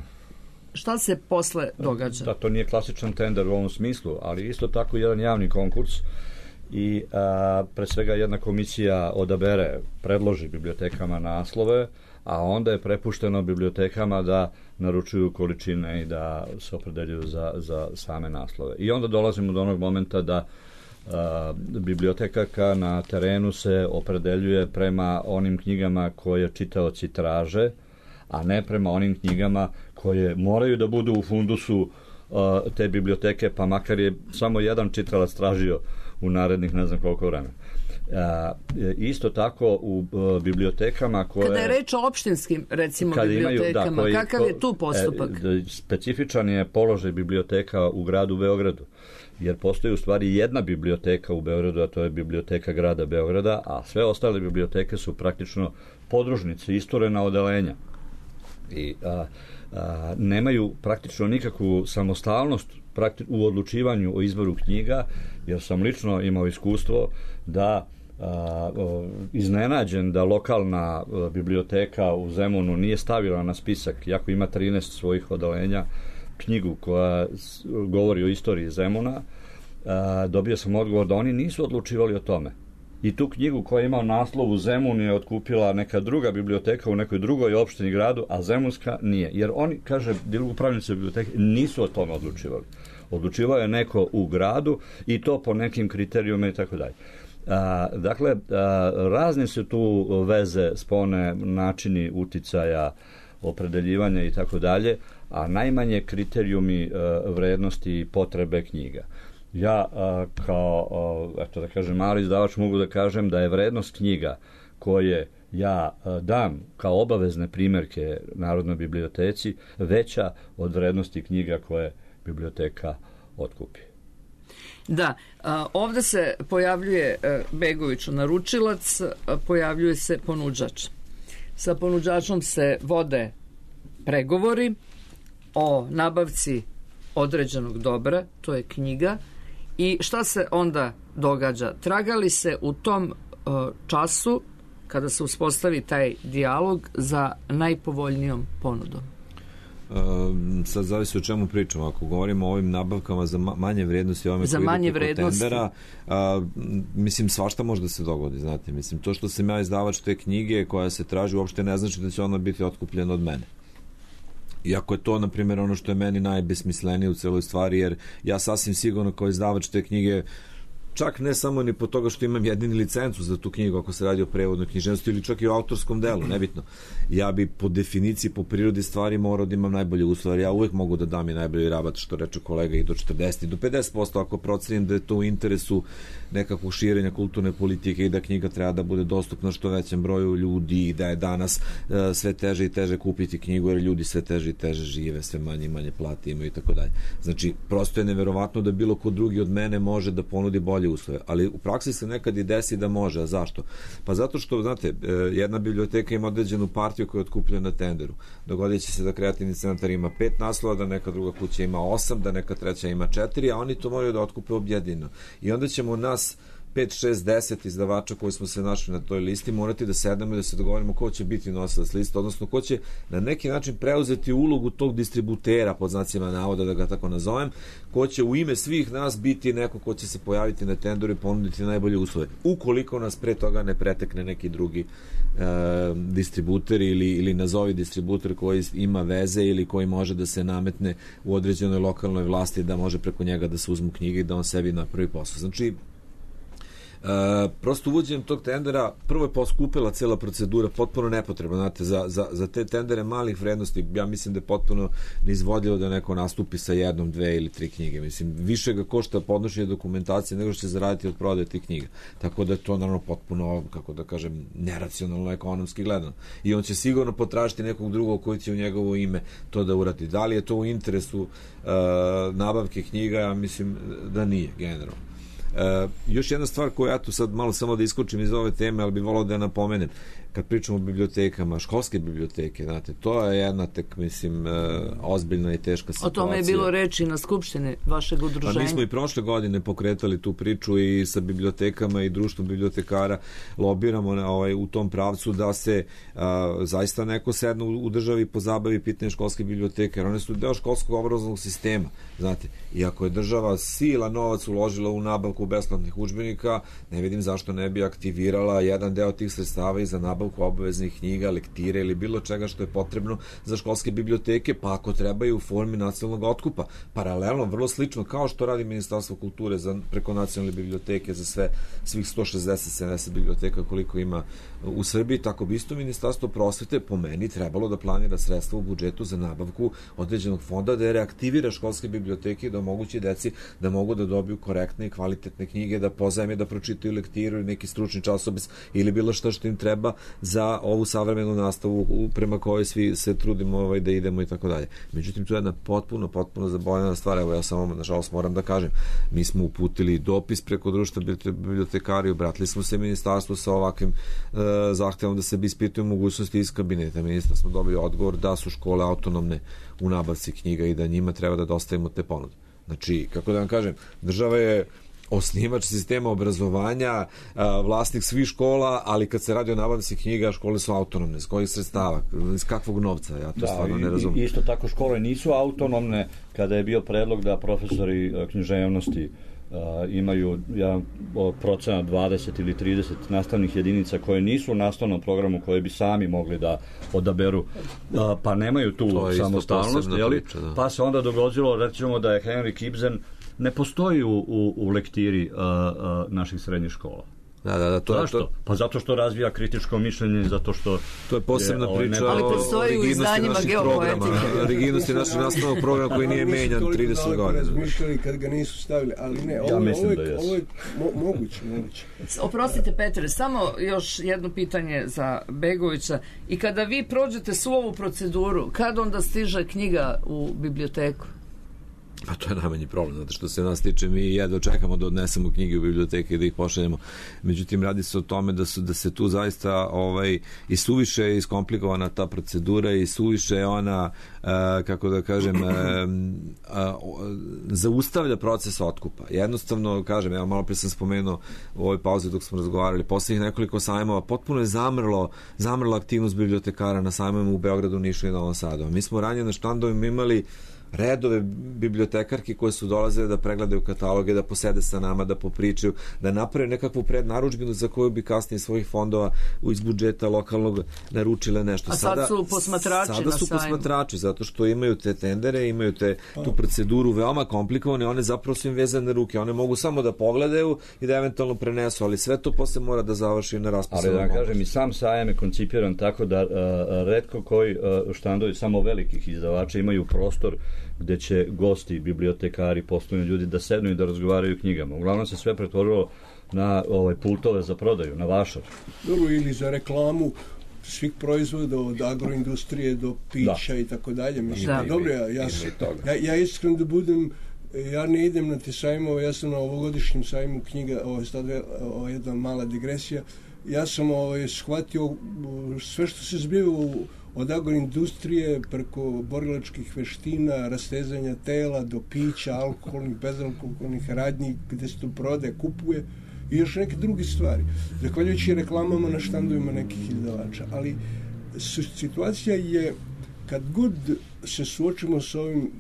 D: Šta se posle događa?
F: Da, to nije klasičan tender u ovom smislu, ali isto tako jedan javni konkurs i a, pre svega jedna komisija odabere, predloži bibliotekama naslove, a onda je prepušteno bibliotekama da naručuju količine i da se opredeljuju za, za same naslove. I onda dolazimo do onog momenta da a, biblioteka na terenu se opredeljuje prema onim knjigama koje čitaoci traže, a ne prema onim knjigama koje moraju da budu u fundusu uh, te biblioteke, pa makar je samo jedan čitalac tražio u narednih ne znam koliko vremena. Uh, isto tako u uh, bibliotekama koje...
D: Kada je reč o opštinskim, recimo, bibliotekama, imaju, da, koji, kakav je tu postupak?
F: E, specifičan je položaj biblioteka u gradu Beogradu, jer postoji u stvari jedna biblioteka u Beogradu, a to je biblioteka grada Beograda, a sve ostale biblioteke su praktično podružnice, isturena odelenja. I a, a, nemaju praktično nikakvu samostalnost prakti- u odlučivanju o izboru knjiga, jer sam lično imao iskustvo da a, o, iznenađen da lokalna a, biblioteka u Zemunu nije stavila na spisak, iako ima trinaest svojih odelenja, knjigu koja s, govori o istoriji Zemuna. A, dobio sam odgovor da oni nisu odlučivali o tome. I tu knjigu koja ima naslov u Zemun je otkupila neka druga biblioteka u nekoj drugoj opštini gradu, a Zemunska nije. Jer oni, kaže, upravnici biblioteke, nisu o tome odlučivali. Odlučivao je neko u gradu i to po nekim kriterijuma i tako dalje. A, dakle, a, razne su tu veze, spone, načini uticaja, opredeljivanja i tako dalje, a najmanje kriterijumi a, vrednosti i potrebe knjiga. Ja a, kao, a, eto da kažem, mali izdavač mogu da kažem da je vrednost knjiga koje ja a, dam kao obavezne primjerke Narodnoj biblioteci veća od vrednosti knjiga koje biblioteka otkupi.
D: Da, a, ovde se pojavljuje a, Begoviću naručilac, a, pojavljuje se ponuđač. Sa ponuđačom se vode pregovori o nabavci određenog dobra, to je knjiga. I šta se onda događa? Tragali se u tom uh, času, kada se uspostavi taj dijalog, za najpovoljnijom ponudom?
E: Uh, sad zavisi o čemu pričamo. Ako govorimo o ovim nabavkama za manje vrednosti, ovome
D: za
E: koji
D: manje
E: idu preko
D: vrednosti.
E: tendera, uh, mislim, svašta može da se dogodi, znate. Mislim, to što sam ja izdavač te knjige koja se traži uopšte ne znači da će ona biti otkupljena od mene. Iako je to, na primjer, ono što je meni najbesmislenije u celoj stvari, jer ja sasvim sigurno kao izdavač te knjige, čak ne samo ni po toga što imam jedini licencu za tu knjigu ako se radi o prevodnoj književnosti ili čak i o autorskom delu, nebitno. Ja bi po definiciji, po prirodi stvari morao da imam najbolje uslove. Ja uvek mogu da dam i najbolji rabat, što reče kolega, i do četrdeset i do pedeset posto ako procenim da je to u interesu nekakvog širenja kulturne politike i da knjiga treba da bude dostupna što većem broju ljudi i da je danas uh, sve teže i teže kupiti knjigu jer ljudi sve teže i teže žive, sve manje i manje plate imaju i tako dalje. Znači, prosto je neverovatno da bilo ko drugi od mene može da ponudi bolje uslove, ali u praksi se nekad i desi da može. A zašto? Pa zato što, znate, jedna biblioteka ima određenu partiju koja je otkupljena na tenderu. Dogodit će se da kreativni centar ima pet naslova, da neka druga kuća ima osam, da neka treća ima četiri, a oni to moraju da otkupe objedinjeno. I onda ćemo nas pet, šest, deset izdavača koji smo se našli na toj listi morati da sedemo i da se dogovorimo ko će biti nosilac liste, odnosno ko će na neki način preuzeti ulogu tog distributera, pod znacima navoda da ga tako nazovem, ko će u ime svih nas biti neko ko će se pojaviti na tenderu i ponuditi najbolje uslove. Ukoliko nas pre toga ne pretekne neki drugi e, distributer ili, ili nazovi distributer koji ima veze ili koji može da se nametne u određenoj lokalnoj vlasti da može preko njega da se uzmu knjige i da on sebi napravi posao. Znači, prosto uvođenjem tog tendera prvo je poskupila cela procedura, potpuno nepotrebno, znate, za, za, za te tendere malih vrednosti, ja mislim da je potpuno neizvodljivo da neko nastupi sa jednom, dve ili tri knjige, mislim, više ga košta podnošenje dokumentacije nego što će zaraditi od prodaje tih knjiga, tako da je to naravno potpuno, kako da kažem, neracionalno ekonomski gledano, i on će sigurno potražiti nekog drugog koji će u njegovo ime to da uradi. Da li je to u interesu uh, nabavke knjiga? Ja mislim da nije, generalno. Uh, još jedna stvar koju ja tu sad malo samo da iskočim iz ove teme, ali bi volao da je napomenem, kad pričamo o bibliotekama, školske biblioteke, znate, to je jedna tek, mislim, uh, ozbiljna i teška situacija.
D: O tome je bilo reči na skupštini vašeg udruženja.
E: Pa mi smo i prošle godine pokretali tu priču i sa bibliotekama i društvom bibliotekara lobiramo na, ovaj, u tom pravcu da se uh, zaista neko sedno u, u državi pozabavi pitanje školske biblioteke, jer one su deo školskog obrazovnog sistema, znate, i ako je država sila novac uložila u nabavku besplatnih udžbenika, ne vidim zašto ne bi aktivirala jedan deo tih sredstava i za nabavku obaveznih knjiga, lektire ili bilo čega što je potrebno za školske biblioteke, pa ako treba i u formi nacionalnog otkupa. Paralelno, vrlo slično kao što radi Ministarstvo kulture za, preko nacionalne biblioteke za sve, svih sto šezdeset sedamdeset biblioteka koliko ima u Srbiji, tako bi isto Ministarstvo prosvete po meni trebalo da planira sredstva u budžetu za nabavku određenog fonda da je reaktivira školske biblioteke i da omogući deci da mogu da dobiju korektne i kvalitetne knjige, da pozajme, da pročitaju lektiru ili neki stručni časopis ili bilo šta što im treba za ovu savremenu nastavu prema kojoj svi se trudimo ovaj, da idemo i tako dalje. Međutim, to je jedna potpuno, potpuno zaboravljena stvar. Evo, ja samo, nažalost, moram da kažem, mi smo uputili dopis preko društva bibliotekari, obratili smo se ministarstvu sa ovakvim uh, zahtevom da se bi ispituju mogućnosti iz kabineta ministra. Smo dobili odgovor da su škole autonomne u nabavci knjiga i da njima treba da dostavimo te ponude. Znači, kako da vam kažem, država je osnivač sistema obrazovanja, vlasnik svih škola, ali kad se radi o nabavci knjiga, škole su autonomne. Iz kojih sredstava? Iz kakvog novca? Ja to da, stvarno ne razumijem.
F: Isto tako škole nisu autonomne kada je bio predlog da profesori književnosti Uh, imaju ja, procena dvadeset ili trideset nastavnih jedinica koje nisu u nastavnom programu, koje bi sami mogli da odaberu, uh, pa nemaju tu samostalnost, jeli? Priča, da. Pa se onda dogodilo, recimo, da je Henrik Ibsen ne postoji u, u, u lektiri uh, uh, naših srednjih škola.
E: Da, da, da, to
F: Zašto?
E: Je to.
F: Pa zato što razvija kritičko mišljenje, zato što
E: to je posebna je, priča
D: ali postoji u izdanjima geopoetika.
E: Rigidnosti našeg nastavnog programa koji nije menjan trideset godina.
C: Razmišljali kad ga nisu stavili, ali ne, ovo,
F: ja
C: ovo,
F: da
C: je, ovo je mo, moguće, moguće.
D: Oprostite, Petre, samo još jedno pitanje za Begovića. I kada vi prođete svu ovu proceduru, kad onda stiže knjiga u biblioteku?
E: Pa to je najmanji problem, zato što se nas tiče, mi jedva čekamo da odnesemo knjige u biblioteke i da ih pošaljemo. Međutim, radi se o tome da su da se tu zaista ovaj i suviše iskomplikovana ta procedura i suviše ona uh, kako da kažem uh, uh, zaustavlja proces otkupa. Jednostavno, kažem, ja malo pre sam spomenuo u ovoj pauzi dok smo razgovarali, poslednjih nekoliko sajmova potpuno je zamrlo, zamrla aktivnost bibliotekara na sajmovima u Beogradu, Nišu i Novom Sadu. Mi smo ranije na štandovima imali redove bibliotekarki koje su dolazile da pregledaju kataloge, da posede sa nama, da popričaju, da naprave nekakvu prednarudžbinu za koju bi kasnije svojih fondova iz budžeta lokalnog naručile nešto.
D: A sad sada, su posmatrači
E: sada
D: na
E: su
D: sajmu.
E: posmatrači, zato što imaju te tendere, imaju te, tu proceduru veoma komplikovane, one zapravo su im vezane ruke, one mogu samo da pogledaju i da eventualno prenesu, ali sve to posle mora da završi na raspisanom.
F: Ali da kažem, i sam sajam je koncipiran tako da uh, retko koji uh, štandovi samo velikih izdavača imaju prostor gde će gosti, bibliotekari, poslovni ljudi da sednu i da razgovaraju knjigama. Uglavnom se sve pretvorilo na ovaj pultove za prodaju, na vašar.
C: Dobro, ili za reklamu svih proizvoda, od agroindustrije do pića da. I tako dalje. Mislim, da. Dobro, ja, ja, ja, ja iskreno da budem, ja ne idem na te sajmove, ja sam na ovogodišnjem sajmu knjiga, ovo je sad ovo je jedna mala digresija, ja sam ovaj, shvatio sve što se zbiva u od agroindustrije preko borilačkih veština, rastezanja tela do pića, alkoholnih, bezalkoholnih radnji gde se to prodaje, kupuje i još neke druge stvari. Zahvaljujući reklamama na štandovima nekih izdavača. Ali situacija je, kad god se suočimo sa ovim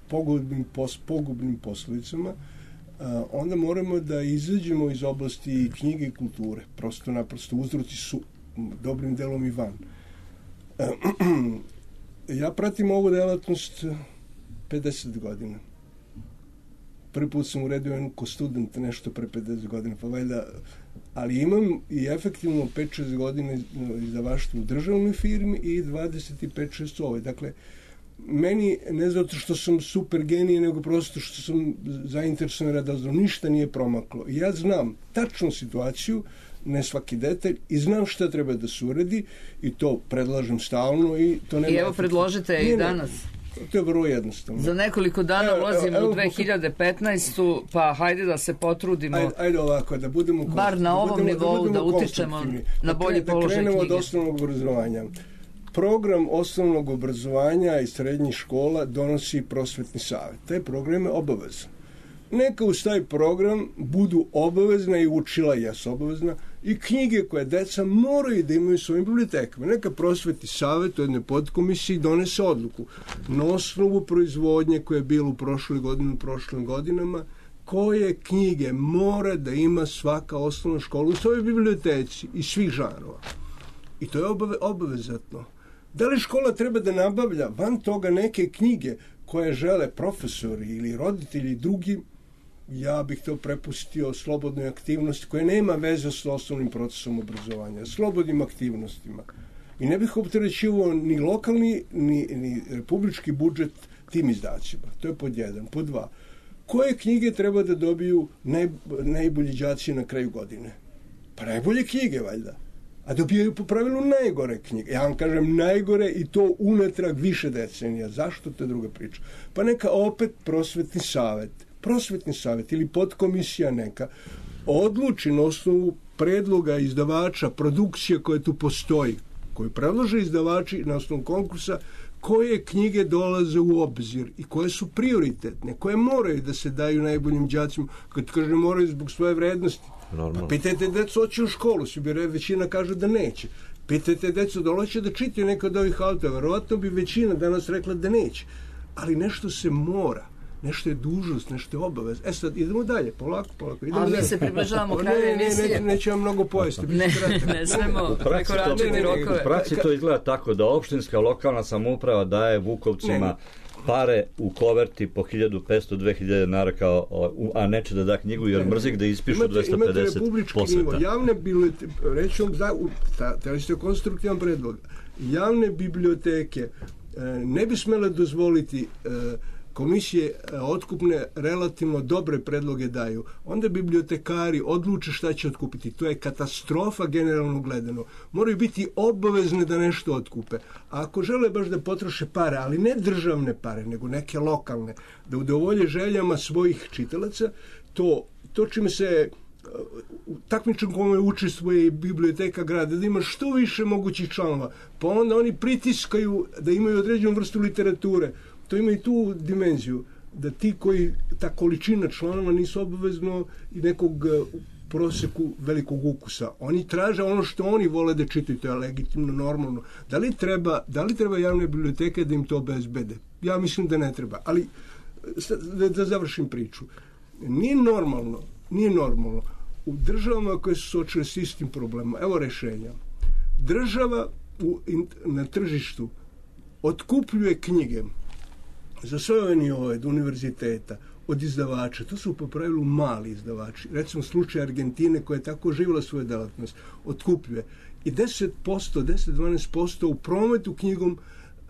C: pogubnim, pos, pogubnim posledicama, onda moramo da izađemo iz oblasti knjige i kulture. Prosto naprosto uzroci su dobrim delom i van. Ja pratim ovu delatnost pedeset godina. prvi put sam uredio ko student nešto pre pedeset godina, pa valjda, ali imam i efektivno pet šest godina izdavaštvo u državnoj firmi i dvadeset pet šest u ovoj. Dakle, meni, ne zato što sam super genij, nego prosto što sam zainteresovan da znam, ništa nije promaklo. Ja znam tačnu situaciju, ne svaki detalj, i znam šta treba da se uredi i to predlažem stalno i to nema.
D: I evo predložite i danas.
C: To je vrlo jednostavno.
D: Za nekoliko dana
C: Evo,
D: ulazimo
C: evo,
D: u dve hiljade petnaestu. pa hajde da se potrudimo.
C: Ajde, ajde ovako, da budemo
D: bar na ovom
C: budemo,
D: nivou da,
C: da
D: utičemo na bolji
C: da
D: položaj
C: knjige. Da krenemo
D: knjige.
C: od osnovnog obrazovanja. Program osnovnog obrazovanja i srednjih škola donosi prosvetni savjet. Taj program je obavezan. Neka uz taj program budu obavezna i učila jesu obavezna i knjige koje deca moraju da imaju u svojim bibliotekama. Neka prosvetni savjet u jednoj podkomisiji donese odluku na osnovu proizvodnje koje je bilo u prošloj godini, u prošlim godinama, koje knjige mora da ima svaka osnovna škola u svojoj biblioteci i svih žanrova. I to je obave, obavezatno. Da li škola treba da nabavlja van toga neke knjige koje žele profesori ili roditelji i drugi, ja bih to prepustio slobodnoj aktivnosti koja nema veze s osnovnim procesom obrazovanja, slobodnim aktivnostima. I ne bih opterećivao ni lokalni, ni, ni republički budžet tim izdacima. To je pod jedan. Pod dva. Koje knjige treba da dobiju naj, najbolji đaci na kraju godine? Pa najbolje knjige, valjda. A dobijaju po pravilu najgore knjige. Ja vam kažem najgore i to unatrag više decenija. Zašto? To je druga priča. Pa neka opet prosvetni savjet, prosvetni savjet ili podkomisija neka odluči na osnovu predloga izdavača, produkcije koje tu postoji, koju predlože izdavači na osnovu konkursa, koje knjige dolaze u obzir i koje su prioritetne, koje moraju da se daju najboljim đacima, kad kažem moraju zbog svoje vrednosti. Pa pitajte decu, hoće u školu, svi bi većina kaže da neće. Pitajte decu da hoće da čitaju neka od ovih autora, verovatno bi većina danas rekla da neće. Ali nešto se mora, nešto je dužnost, nešto je obavez. E sad, idemo dalje, polako, polako. Idemo
D: Ali mi
C: dalje.
D: se približavamo kraju emisije.
C: Ne, ne, neće vam mnogo pojesti.
D: Ne, ne smemo prekoračiti rokove.
F: U praksi to izgleda tako da opštinska lokalna samouprava daje Vukovcima
C: Ne.
F: pare u koverti po hiljadu petsto do dve hiljade dinara kao, a neće da da knjigu jer mrzi da ispišu
C: Imate-
F: dvesta
C: imate
F: pedeset
C: republički nivo.
F: posveta.
C: Javne biblioteke, reći vam, za, u- ta, ta ste konstruktivan predlog. Javne biblioteke e, ne bi smele dozvoliti e, komisije e, otkupne relativno dobre predloge daju. Onda bibliotekari odluče šta će otkupiti. To je katastrofa generalno gledano. Moraju biti obavezne da nešto otkupe. A ako žele baš da potroše pare, ali ne državne pare, nego neke lokalne, da udovolje željama svojih čitalaca, to, to čime se u takmičnom kome učestvuje i biblioteka grada, da ima što više mogućih članova, pa onda oni pritiskaju da imaju određenu vrstu literature. To ima i tu dimenziju, da ti koji, ta količina članova nisu obavezno i nekog e, proseku velikog ukusa. Oni traže ono što oni vole da čitaju, to je legitimno, normalno. Da li treba, da li treba javne biblioteke da im to obezbede? Ja mislim da ne treba, ali sad, da, da završim priču. Nije normalno, nije normalno u državama koje su suočile s istim problemom. Evo rešenja. Država u, in, na tržištu otkupljuje knjige za sve ove nivoe, od univerziteta, od izdavača. To su po pravilu mali izdavači. Recimo slučaj Argentine koja je tako živjela svoju delatnost. Otkupljuje. I deset posto, deset do dvanaest posto u prometu knjigom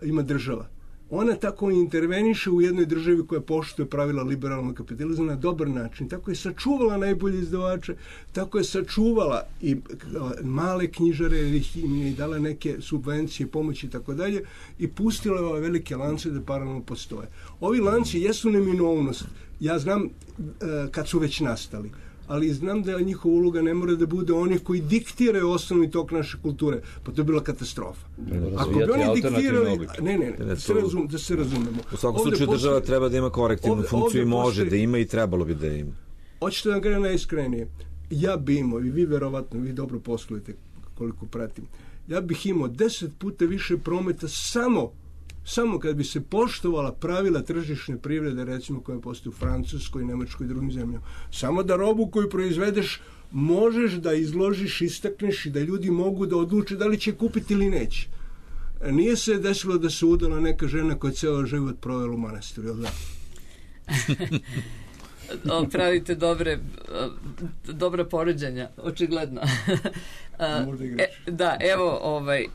C: ima država. Ona tako interveniše u jednoj državi koja poštuje pravila liberalnog kapitalizma na dobar način. Tako je sačuvala najbolje izdavače, tako je sačuvala i male knjižare, ili im je dala neke subvencije, pomoći i tako dalje, i pustila ove velike lance da paralelno postoje. Ovi lanci jesu neminovnost. Ja znam kad su već nastali, ali znam da njihova uloga ne mora da bude onih koji diktiraju osnovni tok naše kulture. Pa to je bila katastrofa. Ako bi oni diktirali... Ne, ne, ne, da se, razum, da se razumemo.
E: U svakom slučaju država treba da ima korektivnu
C: ovde,
E: funkciju
C: ovde
E: i može
C: postoji,
E: da ima i trebalo bi da ima.
C: Hoćete da vam gledam najiskrenije. Ja bi imao, i vi verovatno, vi dobro poslujete koliko pratim, ja bih imao deset puta više prometa samo samo kad bi se poštovala pravila tržišne privrede, recimo koja postoji u Francuskoj, Nemačkoj i drugim zemljama. Samo da robu koju proizvedeš možeš da izložiš, istakneš i da ljudi mogu da odluče da li će kupiti ili neće. Nije se desilo da se udala neka žena koja je ceo život provela u manastiru, jel da?
D: o, pravite dobre, o, dobra poređenja, očigledno. A, e, da, evo, ovaj, e,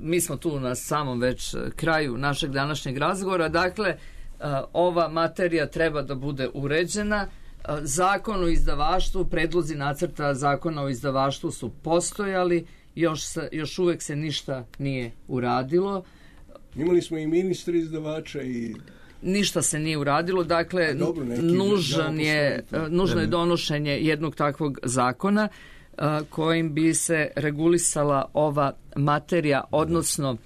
D: mi smo tu na samom već kraju našeg današnjeg razgovora. Dakle, a, ova materija treba da bude uređena. A, Zakon o izdavaštvu, predlozi nacrta zakona o izdavaštvu su postojali, još, se, još uvek se ništa nije uradilo.
C: Imali smo i ministri izdavača i...
D: Ništa se nije uradilo, dakle
C: dobro, neki
D: nužan je,
C: postoji.
D: nužno je donošenje jednog takvog zakona a, kojim bi se regulisala ova materija, odnosno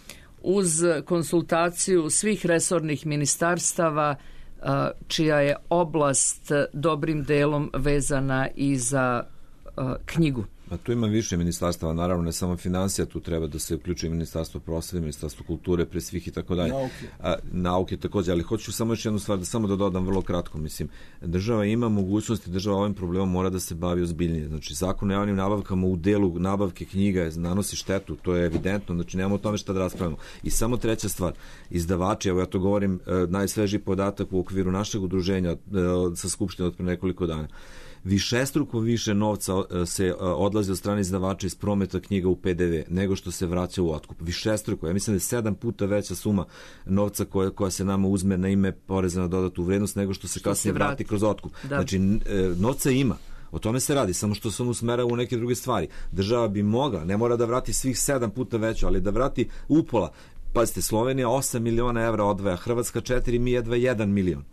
D: uz konsultaciju svih resornih ministarstava a, čija je oblast dobrim delom vezana i za a, knjigu.
E: A tu ima više ministarstava, naravno ne samo financija, tu treba da se uključi ministarstvo prosvete, ministarstvo kulture, pre svih i tako dalje.
C: Nauke.
E: A, nauke takođe, ali hoću samo još jednu stvar, da samo da dodam vrlo kratko, mislim, država ima mogućnosti, država ovim problemom mora da se bavi ozbiljnije. Znači, zakon o javnim nabavkama u delu nabavke knjiga nanosi štetu, to je evidentno, znači nemamo o tome šta da raspravimo. I samo treća stvar, izdavači, evo ja to govorim, najsvežiji podatak u okviru našeg udruženja sa Skupštine od pre nekoliko dana. Višestruko više novca se odlazi od strane izdavača iz prometa knjiga u P D V nego što se vraća u otkup. Višestruko. Ja mislim da je sedam puta veća suma novca koja, koja se nama uzme na ime poreza na dodatu vrednost nego što se što kasnije se vrati. vrati kroz otkup. Da. Znači, novca ima. O tome se radi, samo što se on usmera u neke druge stvari. Država bi mogla, ne mora da vrati svih sedam puta veću, ali da vrati upola. Pazite, Slovenija osam miliona evra odvaja, Hrvatska četiri, mi jedva jedan milion.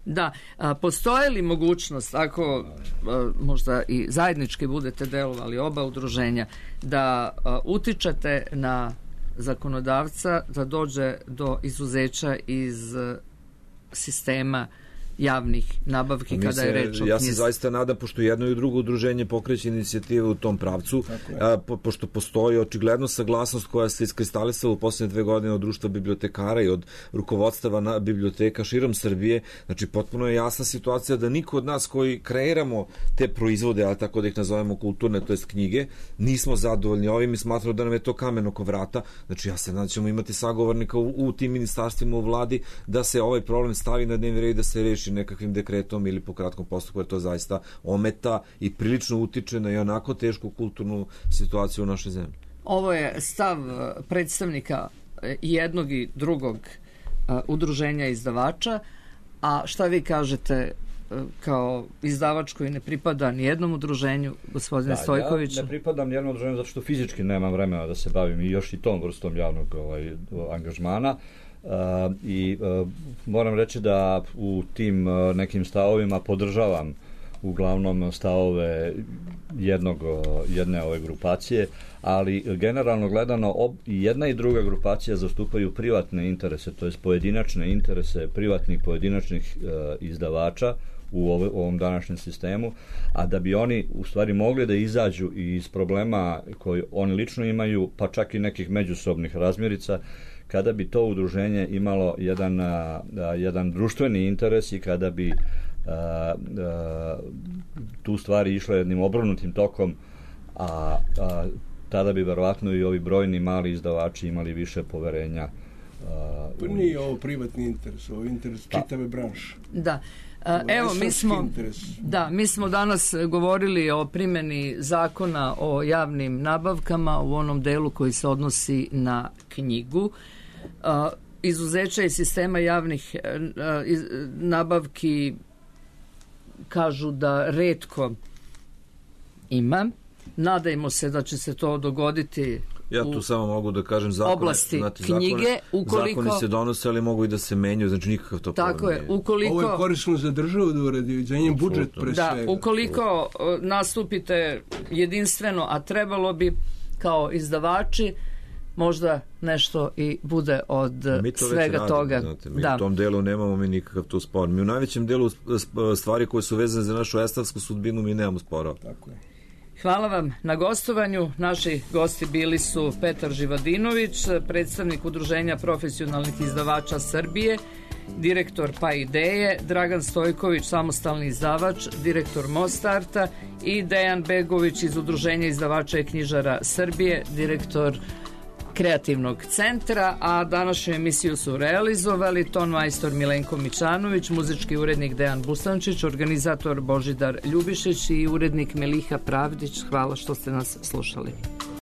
D: Da, a, postoje li mogućnost, ako a, možda i zajednički budete delovali oba udruženja, da a, utičete na zakonodavca da dođe do izuzeća iz a, sistema javnih nabavki mi kada se, je reč o knjizi?
E: Ja se zaista nadam, pošto jedno i drugo udruženje pokreće inicijative u tom pravcu, a, po, pošto postoji očigledno saglasnost koja se iskristalisala u posljednje dve godine od društva bibliotekara i od rukovodstava na biblioteka širom Srbije. Znači, potpuno je jasna situacija da niko od nas koji kreiramo te proizvode, ali tako da ih nazovemo kulturne, to jest knjige, nismo zadovoljni ovim i smatramo da nam je to kamen oko vrata. Znači, ja se nadam da ćemo imati sagovornika u, u tim ministarstvima u vladi da se ovaj problem stavi na dnevni red i da se reši nekakvim dekretom ili po kratkom postupku, jer to zaista ometa i prilično utiče na i onako tešku kulturnu situaciju u našoj zemlji.
D: Ovo je stav predstavnika jednog i drugog uh, udruženja izdavača, a šta vi kažete uh, kao izdavač koji ne pripada ni jednom udruženju, gospodine da, Stojković?
F: Ja ne pripadam ni jednom udruženju zato što fizički nemam vremena da se bavim i još i tom vrstom javnog ovaj, angažmana. Uh, i uh, moram reći da u tim uh, nekim stavovima podržavam uglavnom stavove jednog, uh, jedne ove grupacije, ali generalno gledano ob, i jedna i druga grupacija zastupaju privatne interese, to jest pojedinačne interese privatnih pojedinačnih uh, izdavača u ove, ovom današnjem sistemu, a da bi oni u stvari mogli da izađu iz problema koji oni lično imaju, pa čak i nekih međusobnih razmirica, kada bi to udruženje imalo jedan, a, jedan društveni interes i kada bi a, a, tu stvari išle jednim obrnutim tokom, a, a tada bi verovatno i ovi brojni mali izdavači imali više poverenja. A,
C: pa nije ovo privatni interes, ovo je interes čitave branše.
D: Da. A, evo, mi smo, da, mi smo danas govorili o primjeni zakona o javnim nabavkama u onom delu koji se odnosi na knjigu. A, izuzeća iz sistema javnih a, iz, nabavki kažu da retko ima. Nadajmo se da će se to dogoditi.
E: Ja tu samo mogu da kažem zakone,
D: oblasti
E: znate,
D: knjige,
E: zakone,
D: ukoliko
E: zakoni se donose, ali mogu i da se menjaju, znači nikakav to problem.
D: Tako je, ukoliko
C: ovo je korisno za državu da uradi, za njen budžet pre
D: da,
C: svega.
D: Ukoliko nastupite jedinstveno, a trebalo bi kao izdavači, možda nešto i bude od svega
E: radimo,
D: toga.
E: Znate, mi
D: da.
E: u tom delu nemamo mi nikakav tu spor. Mi u najvećem delu stvari koje su vezane za našu estavsku sudbinu mi nemamo spora.
C: Tako je.
D: Hvala vam na gostovanju. Naši gosti bili su Petar Živadinović, predstavnik Udruženja profesionalnih izdavača Srbije, direktor Pa Ideje, Dragan Stojković, samostalni izdavač, direktor Mostarta i Dejan Begović iz Udruženja izdavača i knjižara Srbije, direktor Kreativnog centra, a današnju emisiju su realizovali ton majstor Milenko Mićanović, muzički urednik Dejan Busančić, organizator Božidar Ljubišić i urednik Meliha Pravdić. Hvala što ste nas slušali.